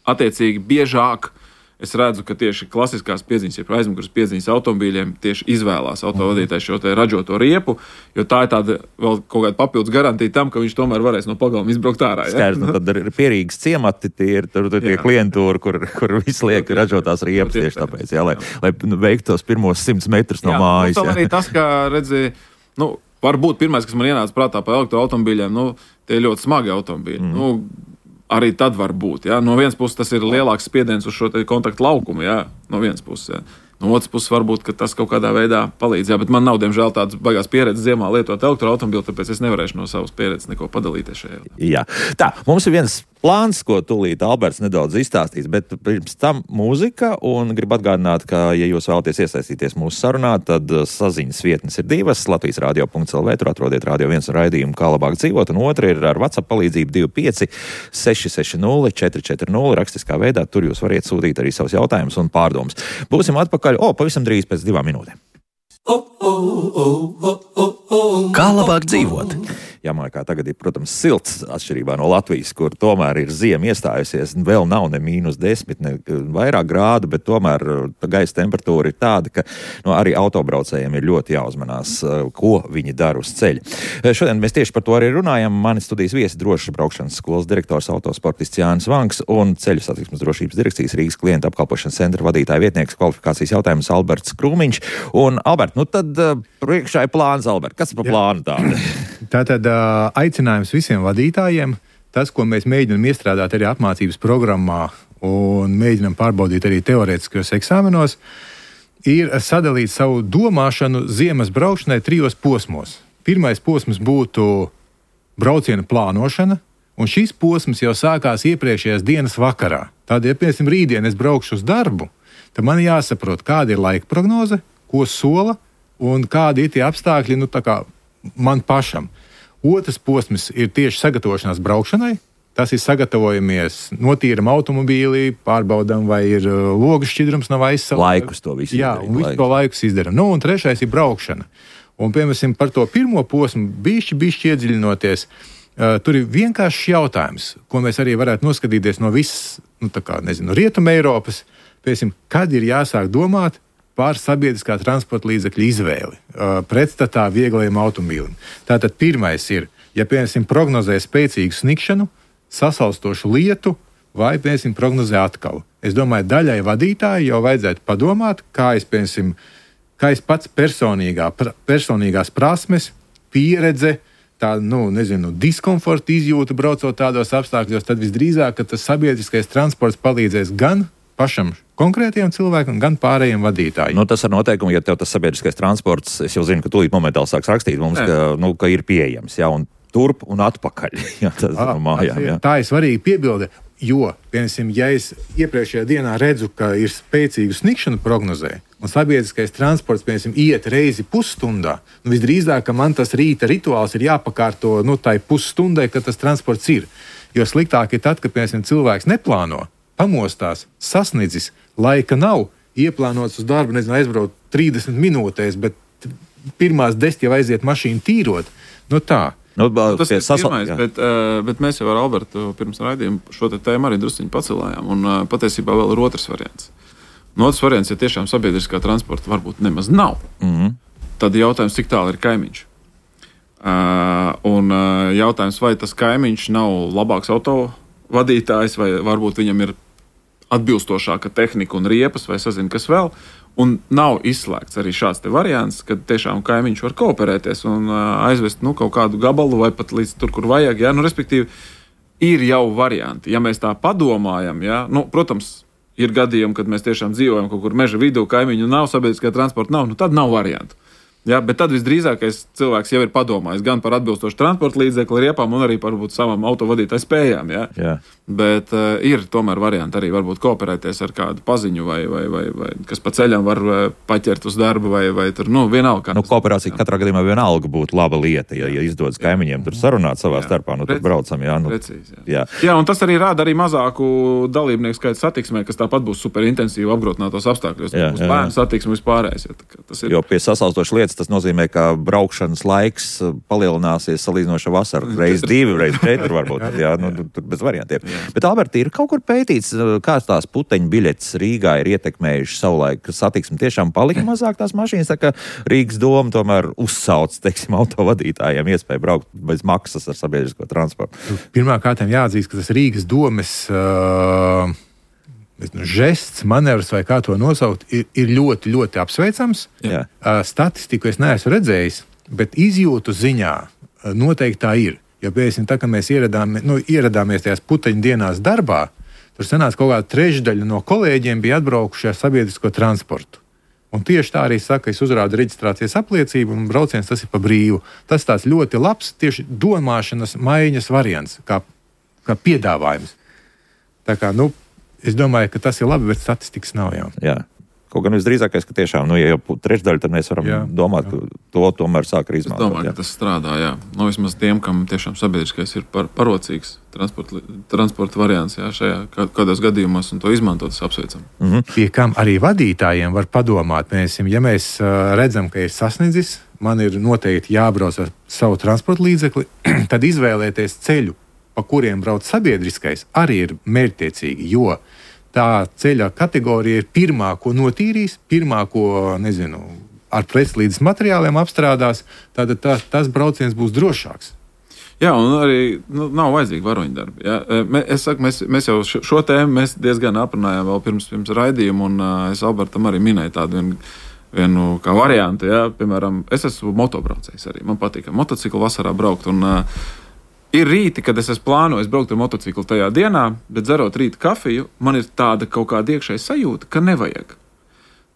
attiecīgi biežāk es redzu, ka tieši klasiskās piedziņas, ja aizmugures piedziņas automobīļiem tieši izvēlās autovadītājs šo te ražoto riepu, jo tā ir tāda vēl kaut kāda papildus garantija tam, ka viņš tomēr varēs no pagalma izbraukt ārā. Ja? Skaidrs, tad ir pierīgas ciemati, tur tie klientūri, kur viss liek ražotās riepas tieši tāpēc, lai veiktu tos pirmos 100 metrus no mājas. Arī tas, kā redzi, varbūt pirmais, kas man ienāca prātā par elektroautomobīļiem, tie ir ļoti smagi automobīļi. Arī tad var būt. Ja? No vienas puses tas ir lielāks spiediens uz šo kontaktu laukumu, ja? No vienas puses. Ja? No otras puses varbūt, ka tas kaut kādā veidā palīdz. Jā, bet man nav, diemžēl, tādas baigās pieredzes ziemā lietot elektroautomobīlu, tāpēc es nevarēšu no savas pieredzes neko padalīties šajā. Jā. Tā, mums ir viens plāns, ko tūlīt Alberts nedaudz izstāstīs, bet pirms tam mūzika, un gribu atgādināt, ka, ja jūs vēlaties iesaistīties mūsu sarunā, tad saziņas vietnes ir divas, latvijasradio.lv, tur atrodiet Radio 1 raidījumu, kā labāk dzīvot, un otra ir ar WhatsApp palīdzību 25 660 440, rakstiskā veidā, tur jūs variet sūtīt arī savus jautājumus un pārdomas. Būsim atpakaļ, pavisam drīz pēc 2 minūtēm. Kā labāk dzīvot? Jamaikā tagad ir, protams, silts atšķirībā no Latvijas, kur tomēr ir ziema iestājusies, vēl nav ne -10, ne vairāk grādu, bet tomēr gaisa temperatūra ir tāda, ka arī autobraucējiem ir ļoti jāuzmanās, ko viņi dara uz ceļa. Šodien mēs tieši par to arī runājam. Mani studijas viesi drošas braukšanas skolas direktors autosportists Jānis Vanks un Ceļu satiksmes drošības direkcijas Rīgas klienta apkalpošanas centra vadītāja vietnieks kvalifikācijas jautājums Alberts Krūmiņš. Un, Albert, tad priekšā ir plāns, Albert. Kas ir par plānu tādu? Tātad aicinājums visiem vadītājiem, tas, ko mēs mēģinām iestrādāt arī apmācības programmā un mēģinām pārbaudīt arī teorētiskajos eksāmenos, ir sadalīt savu domāšanu ziemas braukšanai 3 posmos. Pirmais posms būtu brauciena plānošana, un šis posms jau sākās iepriekšējās dienas vakarā. Tad, ja, piemēram, rītdien es braukšu uz darbu, tad man jāsaprot, kāda ir laika prognoze, ko sola un kādi ir tie apstākļi, man pašam. Otrs posms ir tieši sagatavošanās braukšanai. Tas ir sagatavojamies, notīram automobīli, pārbaudām, vai ir logu šķidrums nav aizsaukt. Laikus to visu izdarām. Jā, un visu to laikus izdarām. Un trešais ir braukšana. Un, piemēram, par to pirmo posmu bišķi iedziļinoties, tur ir vienkāršs jautājums, ko mēs arī varētu noskatīties no visas, Rietuma Eiropas, piemēram, kad ir jāsāk domāt par sabiedriskā transporta līdzekļu izvēli pretstatā vieglajam automobīlim. Tātad pirmais ir, ja, piemēram, prognozē spēcīgu snikšanu, sasalstošu lietu vai, piemēram, prognozē atkalu. Es domāju, daļai vadītāji jau vajadzētu padomāt, kā es pats personīgās prasmes, pieredze, diskomforta izjūta braucot tādos apstākļos, tad visdrīzāk, ka tas sabiedriskais transports palīdzēs gan pašam konkrētiem cilvēkam, gan pārējiem vadītājiem. Tas ar noteikumu, ja tev tas sabiedriskais transports, es jau zinu, ka tūlīt momentāli sāks rakstīt mums, ka ir pieejams, jā, un turp un atpakaļ. Jā, tas no mājām, jā. Tā ir svarīga piebilde, jo, piemēram, ja es iepriekšējā dienā redzu, ka ir spēcīgu snikšanu prognozē, un sabiedriskais transports, piemēram, iet reizi pusstundā, visdrīzāk, ka man tas rīta rituāls ir jāpakārto tai pusstundai, kad tas transports ir. Jo sliktāk ir tad, kad, piemēram, cilvēks neplāno, pamostās, sasniedzis, laika nav, ieplānots uz darbu, aizbraukt 30 minūtēs, bet pirmās 10 jau aiziet mašīnu tīrot. Tā. Tas ir pirmais, bet mēs jau ar Albertu pirms raidījuma šo tēmu arī drusciņi pacelājām, un patiesībā vēl ir otrs variants. Otrs variants, ja tiešām sabiedriskā transporta varbūt nemaz nav, tad jautājums, cik tālu ir kaimiņš. Un jautājums, vai tas kaimiņš nav labāks autovadītājs, vai varbūt viņam ir atbilstošāka tehnika un riepas, vai sazina, kas vēl. Un nav izslēgts arī šāds variants, kad tiešām kaimiņš var kooperēties un aizvest kaut kādu gabalu vai pat līdz tur, kur vajag. Ja? Respektīvi, ir jau varianti. Ja mēs tā padomājam, ja? Protams, ir gadījumi, kad mēs tiešām dzīvojam kaut kur meža vidū, kaimiņu nav, sabiedriskā transporta nav, tad nav variantu. Ja, bet tad visdrīzākais cilvēks jau ir padomājis gan par atbilstošu transporta līdzekli riepām un arī par savam autovadītāju spējām. Ja? Jā. Bet ir tomēr varianti arī varbūt kooperēties ar kādu paziņu vai kas pa ceļam var paķert uz darbu vai tur, vienalga. Kooperācija katrā gadījumā vienalga būtu laba lieta, ja izdodas kaimiņiem tur sarunāt savā starpā, tad braucam. Jā, precīzi, jā. Jā, un tas arī rāda arī mazāku dalībnieku skaitu satiksmē, kas tāpat būs superintensīvi apgrūtinātos apstākļos. Būs bērnu satiksme vispārējais. Jo pie sasalstošas lietas tas nozīmē, ka braukšanas laiks palielināsies salīdzinoši ar vasaru. Reiz 2, reiz 4 varbūt. Jā, tur bez variantiem. Jā. Bet, Alberti, ir kaut kur pētīts, kā tās puteņu biļetes Rīgā ir ietekmējuši savulaik satiksmi. Tiešām palika mazāk tās mašīnas, tā kā Rīgas doma tomēr uzsauc, autovadītājiem iespēju braukt bez maksas ar sabiedrisko transportu. Pirmkārt jāatzīst, ka tas Rīgas domes žests, manevrs vai kā to nosaukt, ir ļoti, ļoti apsveicams. Jā. Statistiku es neesmu redzējis, bet izjūtu ziņā noteikti tā ir. Jo, piemēram, tā, kad mēs ieradāmies tajās puteņu dienās darbā, tur sanāca kaut kāda trešdaļa no kolēģiem bija atbraukuši ar sabiedrisko transportu. Un tieši tā arī saka, es uzrādu reģistrācijas apliecību un brauciens tas ir pa brīvu. Tas tāds ļoti labs tieši domāšanas maiņas variants, kā piedāvājums. Tā kā, es domāju, ka tas ir labi, bet statistikas nav jau. Jā. Kaut gan visdrīzākais, ka tiešām, ja jau trešdaļa, tad mēs varam domāt, ka to tomēr sāk arī izmantot. Es domāju, ka tas strādā, jā. Vismaz tiem, kam tiešām sabiedriskais ir parocīgs transporta variants, jā, šajā kādos gadījumos, un to izmantot, tas apsveicam. Pie kam arī vadītājiem var padomāt, ja mēs redzam, ka ir sasniedzis man ir noteikti jābrauc ar savu transporta līdzekli, tad izvēlēties ceļu, pa kuriem brauc sabiedriskais, arī ir mērķtiecīgi, jo tā ceļa kategorija ir pirmā, ko notīrīs, pirmā, ko, ar preslīdes materiāliem apstrādās, tad tas brauciens būs drošāks. Jā, un arī nav vajadzīgi varoņdarbi. Ja? Es saku, mēs jau šo tēmu mēs diezgan aprunājām vēl pirms raidījuma, un es Albertam arī minēju tādu vienu kā variantu. Ja? Piemēram, es esmu motobraucējs arī. Man patīk motociklu vasarā braukt, un ir rīti, kad es plānoju braukt ar motociklu tajā dienā, bet dzerot rīta kafiju, man ir tāda kaut kāda iekšēja sajūta, ka nevajag.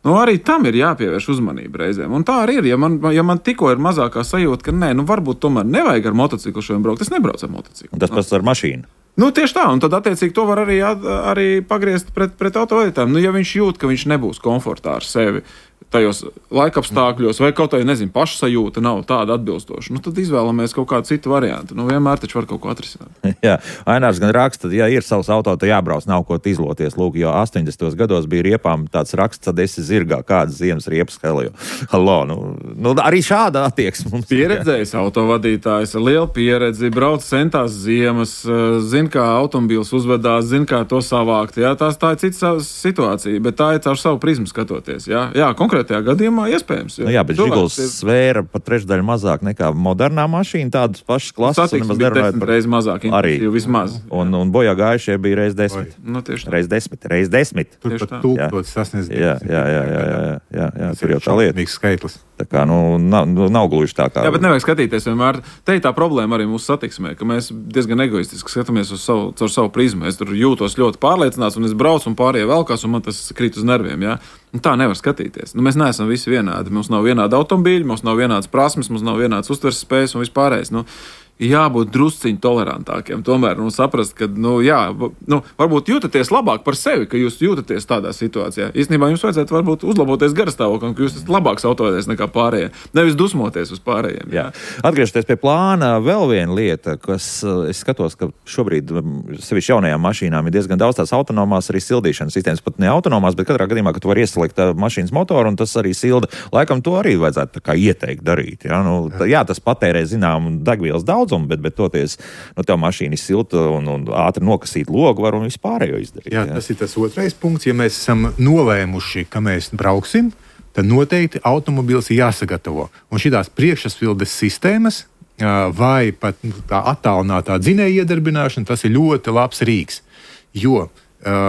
Arī tam ir jāpievērš uzmanība reizēm. Un tā arī ir. Ja man tikko ir mazākā sajūta, ka varbūt tomēr nevajag ar motociklu šodien braukt, es nebraucu ar motociklu. Un tas pats ar mašīnu. Tieši tā, un tad attiecīgi to var arī pagriezt pret autovadītājiem. Ja viņš jūt, ka viņš nebūs komfortā ar sevi tajos laikapstākļos, vai kaut kāda, pašsajūta nav tāda atbilstoša, tad izvēlamies kaut kādu citu variantu. Vienmēr taču var kaut ko atrisināt. Jā, Ainārs gan raksta, ja ir savs auto, tad jābrauc, nav ko izloties. Lūk, jo 80. gados bija riepām tāds raksts, tad esi zirgā, kādas ziemas riepas helio. Arī šāda attieksme mums ir. Pieredzējis autovadītājs ar lielu pieredzi, brauc centās ziemas, zina, kā automobīls uzvedās, zina, kā to savākt. Jā, tā ir cita situācija, bet tā ir caur savu prizmu skatoties. Jā, konkrētajā gadījumā iespējams. Bet Žiguls svēra pat trešdaļu mazāk nekā modernā mašīna, tādas pašas klases. Satiksme bija 10 reizes mazāk, vismaz. Un bojā gājušie bija reiz 10. Reiz 10. Tur pat 1000 sasniedz. Jā, tur jau tā lieta. Mīgs skaitlis. Tā kā, nav gluži tā kā. Jā, bet nevajag skatīties vienmēr. Te ir tā problēma arī mūsu satiksmē, ka mēs diezgan egoistiski skatāmies caur savu prizmu. Es tur jūtos ļoti pārliecināts, un es braucu un pārējie velkās, un man tas krīt uz nerviem. Ja? Tā nevar skatīties. Mēs neesam visi vienādi. Mums nav vienādi automobīļi, mums nav vienādas prasmes, mums nav vienādas uztveres spējas un vispārējais. Jābūt drusciņi tolerantākiem. Tomēr saprast, ka, varbūt jūtaties labāk par sevi, ka jūs jūtaties tādā situācijā. Īstenībā jums vajadzētu varbūt uzlaboties garastāvoklim, ka jūs esat labāks autovadītājs nekā pārējie. Nevis dusmoties uz pārējiem. Jā. Atgriežoties pie plāna, vēl viena lieta, kas es skatos, ka šobrīd sevišķi jaunajām mašīnām ir diezgan daudz tās autonomās arī sildīšanas sistēmas, pat ne autonomās, bet katrā gadījumā, ka tu vari ieslēgt mašīnas motoru un tas arī silda. Laikam to arī vajadzētu tā kā ieteikt darīt. Jā, tas patērē zinām degvielas daudz. Bet toties, tev mašīna ir silta un ātri nokasīt logu var un vispārējo izdarīt. Jā, tas ir tas otrais punkts. Ja mēs esam nolēmuši, ka mēs brauksim, tad noteikti automobils ir jāsagatavo. Un šitās priekšsvildes sistēmas vai pat tā attālinātā dzinēja iedarbināšana, tas ir ļoti labs rīks. Jo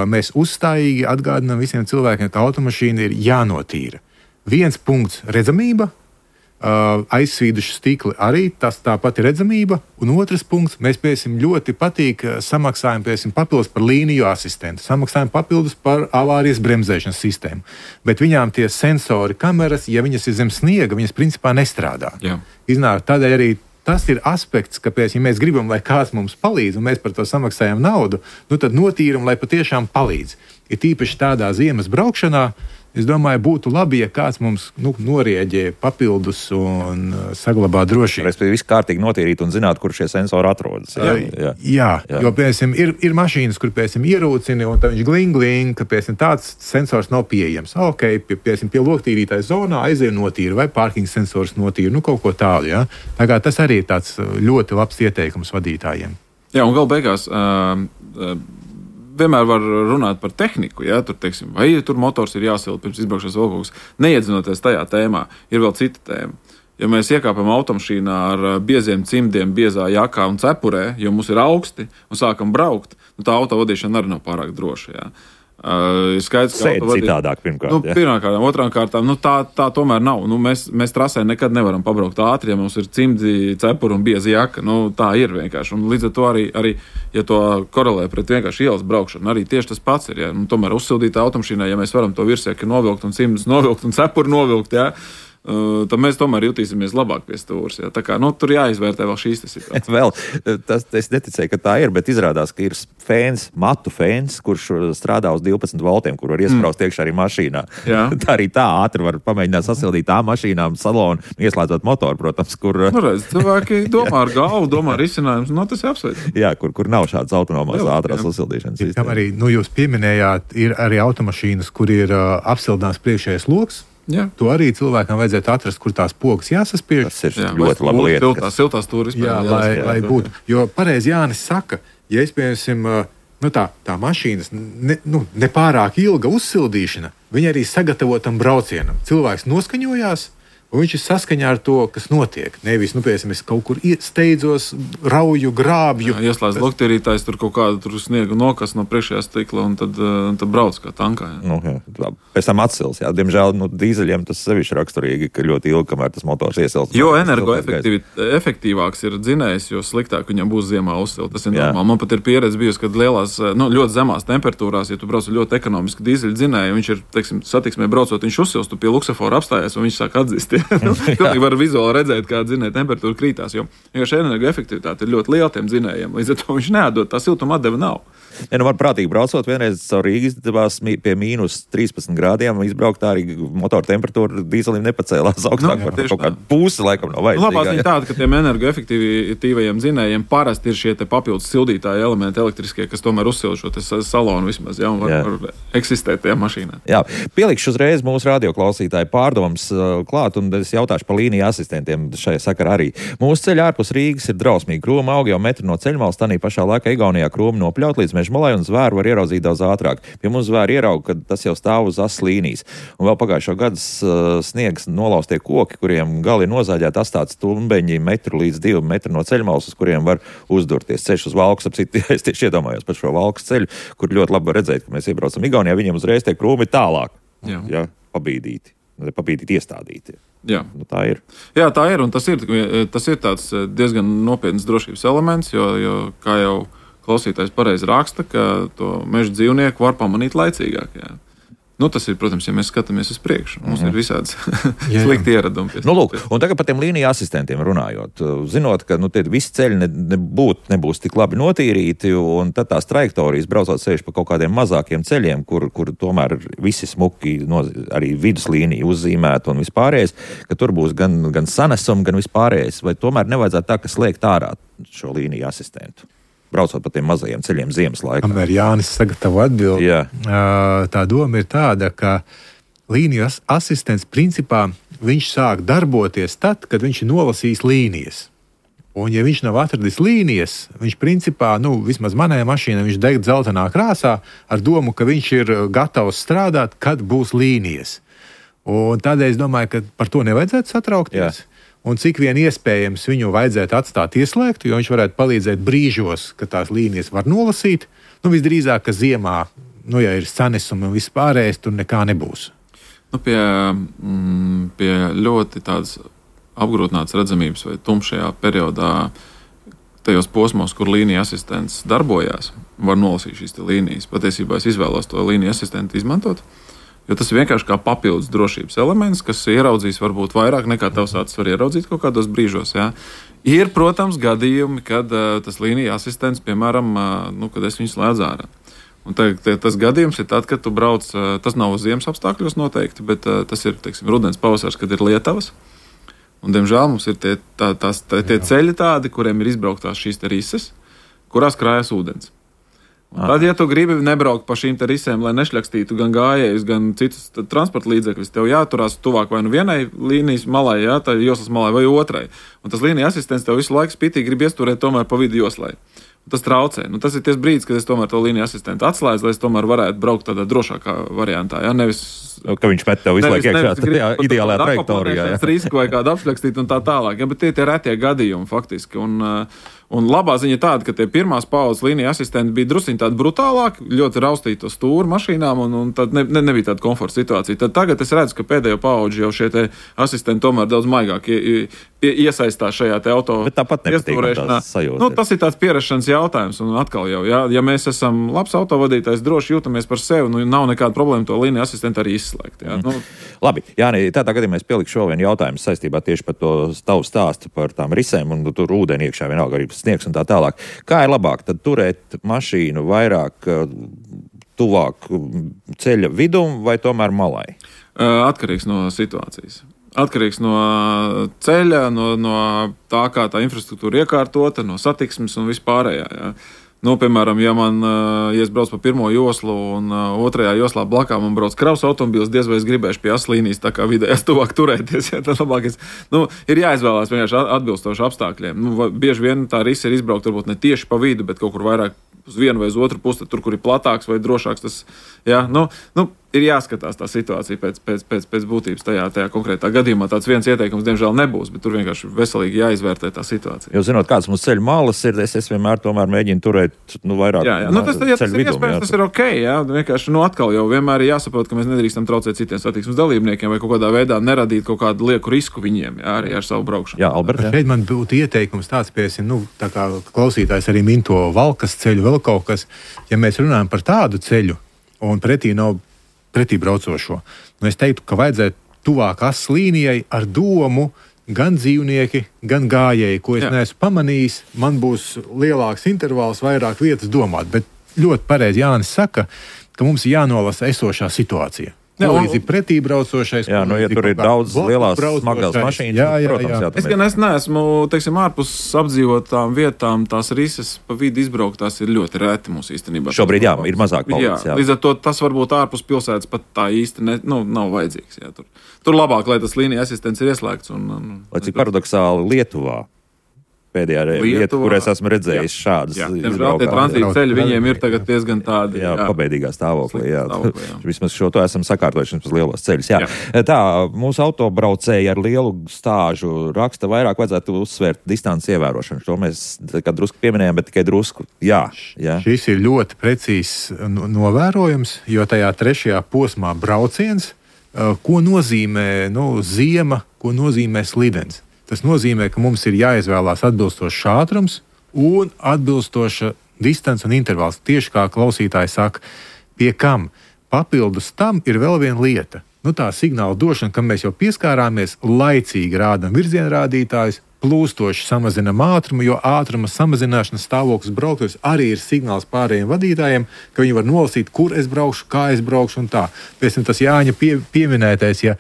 mēs uzstājīgi atgādinām visiem cilvēkiem, ka automašīna ir jānotīra. Viens punkts - redzamība. Aizsvīduši stikli arī, tas tāpat ir redzamība. Un otrs punkts, mēs ļoti patīk samaksājam papildus par līniju asistentu, samaksājam papildus par avārijas bremzēšanas sistēmu. Bet viņām tie sensori, kameras, ja viņas ir zem sniega, viņas principā nestrādā. Iznāk tādēļ arī tas ir aspekts, kāpēc, ja mēs gribam, lai kāds mums palīdz, un mēs par to samaksājam naudu, tad notīram, lai patiešām palīdz. Ir tīpaši tādā ziemas braukšanā, es domāju, būtu labi, ja kāds mums norieģē papildus un saglabā drošību. Respektīvi, viss kārtīgi notīrīt un zināt, kur šie sensori atrodas. Jā. Jo, piemēram, ir mašīnas, kur, piemēram, ierūcini, un tad viņš gling, ka, piemēram, tāds sensors nav pieejams. Piemēram, pie loktīrītāja zonā aiziet notīra vai pārkinga sensors notīra, kaut ko tādu. Ja? Tā kā tas arī ir tāds ļoti labs ieteikums vadītājiem. Jā, un gal beigās vienmēr var runāt par tehniku, ja? Teiksim, vai tur motors ir jāsilda pirms izbraukšanas vēl kaut kas. Neiedzinoties tajā tēmā, ir vēl cita tēma. Ja mēs iekāpam automašīnā ar bieziem cimdiem, biezā jakā un cepurē, jo mums ir augsti un sākam braukt, tā autovadīšana arī nav pārāk droša. Ja? Skaidrs, ka citādāk pirmkārt. Pirmkārt, otrām kārtām, tā tomēr nav. Mēs trasē nekad nevaram pabraukt ātri, ja mums ir cimdi, cepuri un bieza jaka. Tā ir vienkārši. Un līdz ar to arī, ja to korelē pret vienkārši ielas braukšanu, arī tieši tas pats ir. Ja? Tomēr uzsildītā automašīnā, ja mēs varam to virsēki novilkt un cimdus novilkt un cepuri novilkt, ja? Tad mēs tomēr jutīsimies labāk pie stūres. Ja? Tā kā tur jāizvērtē vēl šīs situācijas. Es neticēju, ka tā ir, bet izrādās, ka ir matu fēns, kurš strādā uz 12 voltiem, kur var iespraust iekšā arī mašīnā. Tā arī tā ātri var pamēģināt sasildīt tā mašīnām salonu, ieslēdzot motoru, protams, kur... Cilvēki domā ar galvu, domā ar izcinājumus, tas ir apsveicami. Jā, kur nav šādas autonomās ātrās sasildīšanas sistēmas. Arī, jūs pieminējāt, ir arī automašīnas, kur ir apsildāms priekšējais loks. Jā. To arī cilvēkam vajadzētu atrast, kur tās pogas jāsaspiež. Tas ir ļoti laba lieta. Siltās stūris. Lai būtu. Jo pareizi Jānis saka, ja es, piemēram, tā mašīnas nepārāk ilga uzsildīšana, viņa arī sagatavo tam braucienam. Cilvēks noskaņojās, un viņš ir saskaņā ar to, kas notiek. Nevis, piemēram, es kaut kur steidzos, rauju, grābju. Jā, ieslēdz lokterītājs, tur kaut kādu sniegu nokas no priekšējā stikla, un tad brauc kā tankā. Pēc tam atsils. Jā. Diemžēl dīzeļiem tas sevišķi raksturīgi, ka ļoti ilgi, kamēr tas motors iesilst. Jo energoefektīvāks ir dzinējs, jo sliktāk viņam būs ziemā uzsilt. Tas ir normāli. Man pat ir pieredze bijusi, kad lielās, ļoti zemās temperatūrās, ja tu brauc ļoti ekonomiski dīzeļu dzinēju, viņš ir, teiksim, satiksmē braucot, viņš uzsilst, tu pie luksafora apstājies, un viņš sāk atzist. Pilnīgi var vizuāli redzēt, kā dzinēja temperatūra krītās, jo šī energoefektivitāte ir ļoti liela tiem dzinējiem. Līdz ar to viņš neatdod, tā siltuma atdeva nav. Ja var prātīgi braucot, vienreiz caur Rīgas izdevās pie mīnus 13 grādiem izbraukt, tā arī motora temperatūra dīzelim nepacēlās augstāk par kaut kādu pusi, laikam nav vajadzīga. Labā ziņa tāda, ka tiem energoefektīvajiem dzinējiem parasti ir šie te papildus sildītāji elementi elektriskie, kas tomēr uzsilda šo te salonu vismaz, un var eksistēt tajā mašīnā. Jā, pielikšu uzreiz mūsu radioklausītāju pārdomas klāt, un es jautāšu par līniju asistentiem šajā sakarā arī. Mūsu ceļi ārpus Rīgas ir drausmīgi. Krūma aug jau metru no ceļmalas, tanī pašā laikā Igaunijā krūma nopļaut līdz Mežmalai, un zvēru var ieraudzīt daudz ātrāk. Pie mums zvēru ierauga, kad tas jau stāv uz asas līnijas. Un vēl pagājušo gadu sniegs nolaustie koki, kuriem gali ir nozāģēti astāti stumbeņi metru līdz 2 metru no ceļmalas, uz kuriem var uzdurties. Ceļš uz Valkas, es tieši iedomājos par šo Valkas ceļu, kur ļoti labi redzēt, ka mēs iebraucam Igaunijā, viņiem uzreiz tie krūmi tālāk. Jā, pabīdīti iestādīti. Jā. Tā ir. Jā, tā ir, un tas ir tāds diezgan nopietns drošības elements, jo kā jau klausītājs pareizi raksta, ka to meža dzīvnieku var pamanīt laicīgāk. Jā. Tas ir, protams, ja mēs skatāmies uz priekšu. Mums ir visāds slikti ieradumi. Un tagad par tiem līniju asistentiem runājot. Zinot, ka tie visi ceļi nebūs tik labi notīrīti, un tad tās trajektorijas braucot sevišķi pa kaut kādiem mazākiem ceļiem, kur tomēr visi smuki, arī viduslīnija uzzīmēta un vispārējais, ka tur būs gan sanesumi, gan vispārējais. Vai tomēr nevajadzētu tā, ka slēgt ārā šo līniju asistentu? Braucot pa tiem mazajiem ceļiem ziemas laikā. Kamēr Jānis sagatavo atbildi, tā doma ir tāda, ka līniju asistents principā viņš sāk darboties tad, kad viņš ir nolasījis līnijas. Un ja viņš nav atradis līnijas, viņš principā, vismaz manējā mašīnā, viņš deg dzeltenā krāsā ar domu, ka viņš ir gatavs strādāt, kad būs līnijas. Un tādēļ es domāju, ka par to nevajadzētu satraukties. Jā. Un cik vien iespējams viņu vajadzētu atstāt ieslēgtu, jo viņš varētu palīdzēt brīžos, kad tās līnijas var nolasīt. Visdrīzāk, ka ziemā, ja ir sanesumi un vispārējais, tur nekā nebūs. Pie ļoti tādas apgrūtinātas redzamības vai tumšajā periodā, tajos posmos, kur līnija asistents darbojās, var nolasīt šīs līnijas. Patiesībā es izvēlos to līniju asistentu izmantot. Jo tas ir vienkārši kā papildus drošības elements, kas ieraudzīs varbūt vairāk nekā tavs acis var ieraudzīt kaut kādos brīžos. Jā. Ir, protams, gadījumi, kad tas līnija asistents, piemēram, kad es viņu slēdzu ārā. Un tas gadījums ir tad, kad tu brauc, tas nav uz ziemas apstākļos noteikti, bet tas ir, teiksim, rudens pavasars, kad ir lietavas. Un, diemžēl, mums ir tie ceļi tādi, kuriem ir izbrauktās šīs rises, kurās krājas ūdens. Tad, ja tu gribi nebraukt pa šīm risēm, lai nešļakstītu gan gājējus, gan citus transporta līdzekļus, tev jāturās tuvāk vai vienai līnijas malai, tā joslas malai vai otrai. Un tas līnija asistents tev visu laiku spītīgi grib iesturēt tomēr pa vidu joslai. Tas traucē. Tas ir ties brīdis, kad es tomēr to līniju asistentu atslēdzu, lai es tomēr varētu braukt tādā drošākā variantā. Jā, nevis, ka viņš met tev visu laiku iekšā tajā ideālajā trajektorijā. Risku vai kādu apšļakstīt un tā tālāk. Jā, bet tie ir retie gadījumi faktiski. Un labā ziņa tāda, ka tie pirmās paudzes līnija asistenti bija drusciņi tādi brutālāki, ļoti raustīti to stūri mašīnām, un tad nebija tāda komforta situācija. Tad tagad es redzu, ka pēdējo paudži jau šie asistenti tomēr daudz maigāk iesaistās šajā auto iestūrēšanā. Tas ir tāds pierašanas jautājums, un atkal jau, ja mēs esam labs autovadītājs, droši jūtamies par sevi, nav nekāda problēma to līniju asistentu arī izslēgt. Jā. Labi, Jāni, tādā gadījumā es pielikšu vēl vienu jautājumu saistībā tieši par to tavu stāstu par tām risēm, un tur ūdeni iekšā vienalga arī sniegs un tā tālāk. Kā ir labāk tad turēt mašīnu vairāk tuvāk ceļa vidum vai tomēr malai? Atkarīgs no situācijas. Atkarīgs no ceļa, no tā, kā tā infrastruktūra iekārtota, no satiksmes un vispārējā. Jā. Piemēram, ja es braucu pa pirmo joslu un otrajā joslā blakā man brauc kravas automobīls, diez vai es gribēšu pie aslīnijas tā kā vidējās tuvāk turēties. Ja, tad labākais, ir jāizvēlās vienkārši atbilstoši apstākļiem. Bieži vien tā risa ir izbraukt varbūt ne tieši pa vidu, bet kaut kur vairāk uz vienu vai uz otru pusi, tur, kur ir platāks vai drošāks. Tas, ja, ir jāskatās tā situācija pēc būtības tajā konkrētā gadījumā. Tāds viens ieteikums, diemžēl, nebūs, bet tur vienkārši veselīgi jāizvērtē tā situācija. Jo, zinot, kāds mums ceļu malas ir, es vienmēr tomēr mēģinu turēt vairāk. Jā. Tas ir iespējams, tas ir ok. Jā. Vienkārši atkal jau vienmēr ir jāsaprot, ka mēs nedrīkstam traucēt citiem satiksmes dalībniekiem vai kaut kādā veidā neradīt kaut kādu lieku risku viņiem, jā, arī ar savu braukšanu. Jā, Albert. Šeit man būtu ieteikums tāds, tā kā klausītājs arī min to Valkas ceļu, vēl kaut kas, ja mēs runājam par tādu ceļu un pretī nav pretī braucošo. Es teiktu, ka vajadzētu tuvāk asas līnijai ar domu gan dzīvnieki, gan gājēji, ko es neesmu pamanījis. Man būs lielāks intervāls, vairāk vietas domāt. Bet ļoti pareizi Jānis saka, ka mums ir jānolasa esošā situācija. Līdzi pretī braucošais. Jā, ja tur ir daudz lielās smagās mašīnas, protams, es gan neesmu, ārpus apdzīvotām vietām, tās risas pa vidu izbrauktās ir ļoti reti mūsu īstenībā. Šobrīd, ir mazāk palicis. Līdz ar to tas varbūt ārpus pilsētas pat tā īsti nav vajadzīgs. Jā, tur labāk, lai tas līnija asistents ir ieslēgts. Lai cik paradoxāli Lietuvā. Pēdējā vieta, kur es esmu redzējis šādas izbraukās. Tie tranzīta ceļi viņiem ir tagad diezgan tādi. Pabeidīgā stāvoklī. Vismaz šo to esam sakārtojuši uz lielos ceļus. Tā, mūsu autobraucēji ar lielu stāžu raksta vairāk vajadzētu uzsvērt distances ievērošanu. To mēs drusku pieminējām, bet tikai drusku. Jā. Šis ir ļoti precīzs novērojums, jo tajā trešajā posmā brauciens, ko nozīmē ziema, ko nozīmē slidens. Tas nozīmē, ka mums ir jāizvēlās atbilstošs ātrums un atbilstoša distance un intervāls. Tieši kā klausītāji saka, pie kam papildus tam ir vēl viena lieta. Tā signāla došana, kam mēs jau pieskārāmies, laicīgi rādam virzienrādītājus, plūstoši samazinam ātrumu, jo ātruma samazināšanas stāvoklis braukājs arī ir signāls pārējiem vadītājiem, ka viņi var nolasīt, kur es braukšu, kā es braukšu un tā. Pēc tam tas Jāņa pieminētais, ja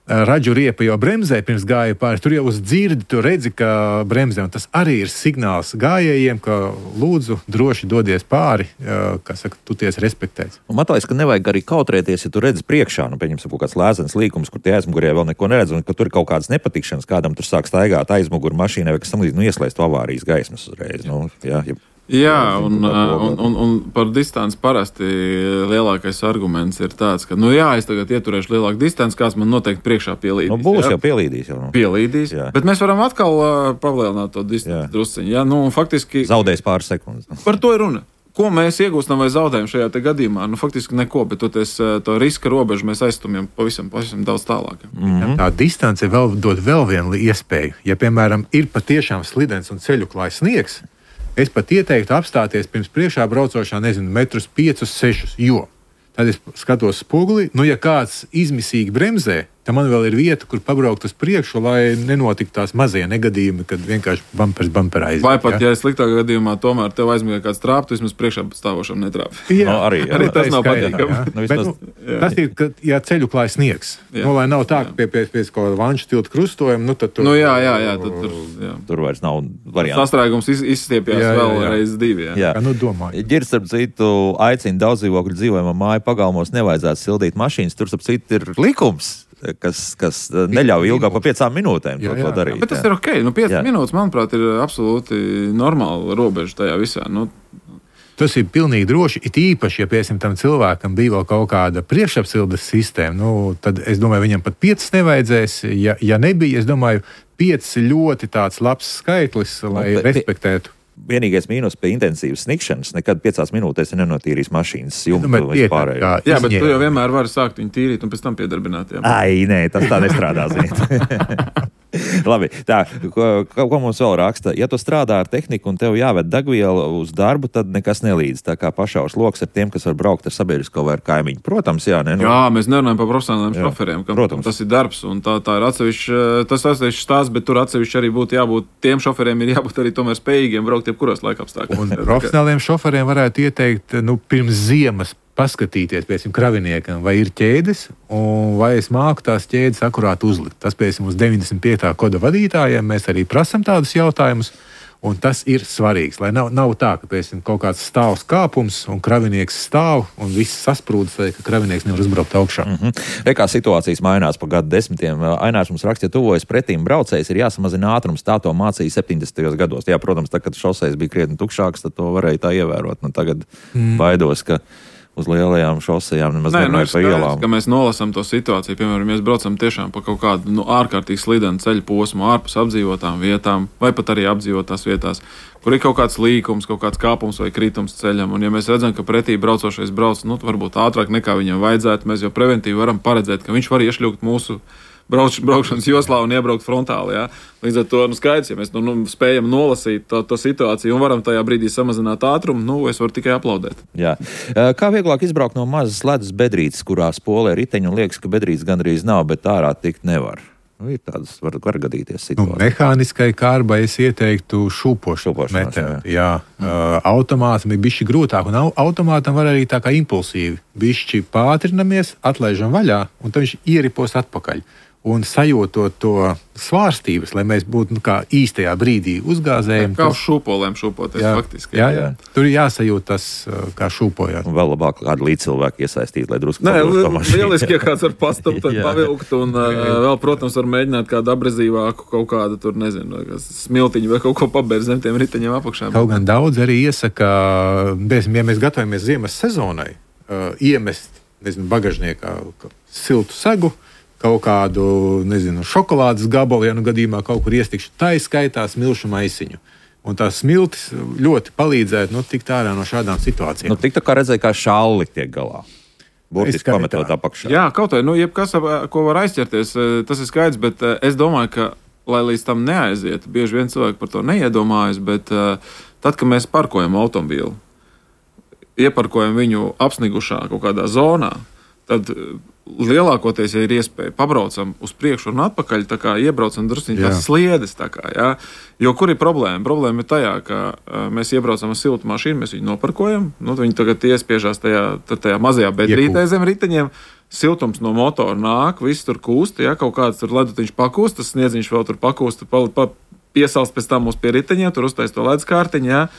raģu riepa jau bremzē pirms gāja pāri, tur jau uz dzirdi, tu redzi, ka bremzē, un tas arī ir signāls gājējiem, ka lūdzu droši dodies pāri, kā saka, tu ties respektēts. Man liekas, ka nevajag arī kautrēties, ja tu redzi priekšā, pieņemsim kaut kāds lēzens līkums, kur tie aizmugurē vēl neko neredz, un ka tur ir kaut kādas nepatikšanas, kādam tur sāk staigāt aizmuguru mašīnai, vai kas tam līdz, ieslēst avārijas gaismas uzreiz. Jā, un par distanci parasti lielākais arguments ir tāds, ka, es tagad ieturēšu lielāku distanci, kāds man noteikti priekšā pielīdīs. Būs jau pielīdīs. Pielīdīs, bet mēs varam atkal palielināt to distanci drusciņu. Jā, faktiski zaudēs pāris sekundes. Par to ir runa. Ko mēs iegūstam vai zaudējam šajā gadījumā? Faktiski neko, bet to riska robežu mēs aizstumjam pavisam daudz tālāk. Tā distance dod vēl vienu iespēju. Ja, piemēram, ir patiešām slidens un ceļu klājs sniegs, es pat ieteiktu apstāties pirms priekšā braucošā, 5, 6, jo tad es skatos spoguli, ja kāds izmisīgi bremzē, tad man vēl ir vieta, kur pabraukt uz priekšu, lai nenotiktu tās mazie negadījumi, kad vienkārši bumperā aiziet. Vai pat, ja sliktākā gadījumā tomēr tev aizmigā kāds trāp, tu vismaz priekšā stāvošam netrāp. Arī tas nav patīkami. Tas ir, ka, ja ceļu klāj sniegs, lai nav tā, ka pie kaut kāda vanšu tilta krustojuma, tad tur... Tur vairs nav variantu. Sastrēgums izstiepjās vēl reiz 2. Ģirs, starp citu, aicina daudz dzīvokļu dzīvojamā māju pagalmos nevajadzētu sildīt mašīnas. Tur, starp citu, ir likums, kas neļauj ilgāk par 5 minūtēm to darīt. Bet tas ir ok. 5 minūtes, manuprāt, ir absolūti normāla robeža tajā visā. Tas ir pilnīgi droši. It īpaši, ja piesim tam cilvēkam bija vēl kaut kāda priekšapsildes sistēma, tad es domāju, viņam pat 5 nevajadzēs. Ja nebija, es domāju, 5 ļoti tāds labs skaitlis, lai respektētu. Vienīgais mīnus pie intensīvas snikšanas, nekad 5 minūtēs nenotīrīs mašīnas jumtu vispārējo. Jā, bet tu jau vienmēr vari sākt viņu tīrīt un pēc tam piedarbināt. Ai, nē, tas tā nestrādā, ziniet. Labi, tā, ko mums vēl raksta? Ja tu strādā ar tehniku un tev jāved degviela uz darbu, tad nekas nelīdz. Tā kā pašaus loks ar tiem, kas var braukt ar sabiedrisko vai ar kaimiņu. Protams, jā. Jā, mēs nerunājam par profesionāliem šoferiem, kam tas ir darbs un tā ir atsevišķi stāsts, bet tur atsevišķi arī būtu jābūt, tiem šoferiem ir jābūt arī tomēr spējīgiem braukt jebkuros laikapstākļos. Un profesionāliem šoferiem varētu ieteikt, pirms ziemas paskatīties, piemēram, kraviniekam, vai ir ķēdes, un vai es māku tās ķēdes akurāt uzlikt. Tas, piemēram, uz 95. koda vadītājiem mēs arī prasam tādus jautājumus, Un tas ir svarīgs, lai nav tā, ka pēc kaut kāds stāvs kāpums un kravinieks stāv un viss sasprūdas, ka kravinieks nevar uzbraukt augšā. Kā situācijas mainās pa gadu desmitiem. Ainārs mums raksta, ja tuvojas pretīm braucējs, ir jāsamazina ātrums. Tā to mācīja 70. gados. Jā, protams, tad, kad šoseis bija krietni tukšāks, tad to varēja tā ievērot. Nu, tagad baidos, ka uz lielajām šosejām nemaz nevajag pa ielām. Mēs nolasām to situāciju, piemēram, mēs braucam tiešām pa kaut kādu ārkārtīgi slidenu ceļu posmu ārpus apdzīvotām vietām, vai pat arī apdzīvotās vietās, kur ir kaut kāds līkums, kaut kāds kāpums vai kritums ceļam. Un ja mēs redzam, ka pretī braucošais brauc, varbūt ātrāk nekā viņam vajadzētu, mēs jau preventīvi varam paredzēt, ka viņš var iešļūt mūsu braukšanas joslā un iebraukt frontāli. Ja? Līdz ar to skaidrs, ja mēs spējam nolasīt to situāciju un varam tajā brīdī samazināt ātrumu, es varu tikai aplaudēt. Jā. Kā vieglāk izbraukt no mazas ledus bedrītes, kurā spolē riteņi un liekas, ka bedrītes gandrīz nav, bet ārā tikt nevar? Ir tādas, var gadīties situācijas. Mehāniskai kārbai es ieteiktu šūpošanās metodi. Jā. Automātam ir bišķi grūtāk, un automātam var arī tā kā impulsīvi. Bišķi pātrinamies, atlaižam vaļā, un tad viņš ieripos atpakaļ. Un sajūtot to svārstības, lai mēs būtu kā īstajā brīdī uzgāzējam. Kā uz šūpolēm šūpoties faktiski. Jā. Tur ir jāsajūt tas, kā šūpojāt. Un vēl labāk kādu līdzcilvēku iesaistīt, lai drusku lieliski, ja kāds var pastumt, tad pavilkt, un vēl, protams, var mēģināt kādu abrezīvāku, kaut kādu tur, nezinu, smiltiņu vai kaut ko pabērt zem tiem riteņiem apakšām. Kaut gan daudz arī iesaka, ja mēs gatavojamies ziemas sezonai, iemest, bagažniekā siltu segu, kaut kādu, šokolādes gabalu, ja gadījumā kaut kur iestikšu, tā izskaitā smilšu maisiņu. Un tās smiltis ļoti palīdzētu tikt ārā no šādām situācijām. Tik tā kā redzēja, kā šalli tiek galā. Burtiski pametot apakšā. Jā, kaut vai, jebkas, ko var aizķerties, tas ir skaidrs, bet es domāju, ka, lai līdz tam neaiziet, bieži vien cilvēki par to neiedomājas, bet tad, kad mēs parkojam automobīlu, ieparkojam viņu apsnigušā kaut kādā zonā, tad lielākoties, ja ir iespēja, pabraucam uz priekšu un atpakaļ, tā kā iebraucam drusciņi tās sliedes, tā kā, jā. Jo kur ir problēma? Problēma ir tajā, ka mēs iebraucam ar siltu mašīnu, mēs viņu noparkojam, viņi tagad iespiežās tajā mazajā bedrītē zem riteņiem, siltums no motora nāk, viss tur kūst, jā, kaut kāds tur ledutiņš pakūst, tas sniedziņš vēl tur pakūst, piesalst pēc tam uz pie riteņiem, tur uztais to ledus kārtiņu, jā.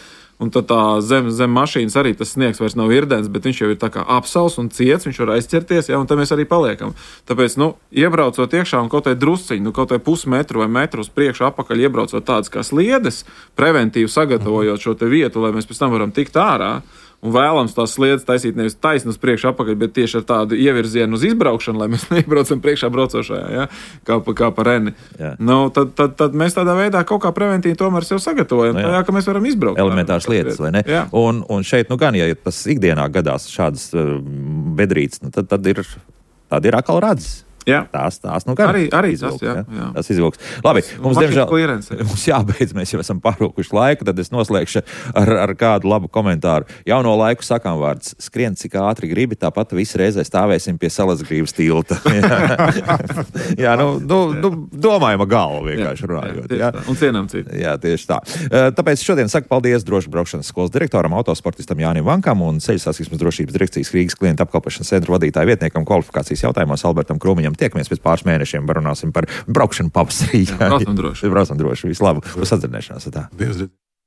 Un tad zem mašīnas arī tas sniegs vairs nav irdens, bet viņš jau ir tā kā apsals un ciets, viņš var aizķerties, un tad mēs arī paliekam. Tāpēc, iebraucot iekšā un kaut vai drusciņu, kaut vai pusmetru vai metru uz priekšu apakaļ iebraucot tādas kā sliedes, preventīvi sagatavojot šo te vietu, lai mēs pēc tam varam tikt ārā. Un vēlams tās sliedes taisīt nevis taisni uz priekšu apakaļ, bet tieši ar tādu ievirzienu uz izbraukšanu, lai mēs neiebraucam priekšā braucošajā, ja? kā pa reni. Tad mēs tādā veidā kaut kā preventīvi tomēr sev sagatavojam, ka mēs varam izbraukt. Elementāras lietas, vai ne? Jā. Un šeit, gan, ja tas ikdienā gadās šādas bedrītes, tad ir atkal radzes. Jā. Tās gan arī izvilks, jā. Tas izvilks. Labi, mums jābeidz, mēs jau esam pārūkuši laiku, tad es noslēgšu ar kādu labu komentāru. Jauno laiku sakām vārds: skrien cik ātri gribi, tāpat visi reizē stāvēsim pie Salacgrības tilta. Jā, domājama galva vienkārši runājot. Jā. Un cienām citu. Jā, tieši tā. Tāpēc šodien saku paldies drošu braukšanas skolas direktoram, autosportistam Jānim Vankam un Ceļu satiksmes drošības direkcijas Rīgas klientu apkalpošanas centra vadītāja vietniekam kvalifikācijas jautājumos Albertam Krūmiņam. Tiekamies pēc pāris mēnešiem, runāsim par braukšanu pavasarī. Braucam droši. Braucam droši. Visu labu. Uz sadzirdēšanās.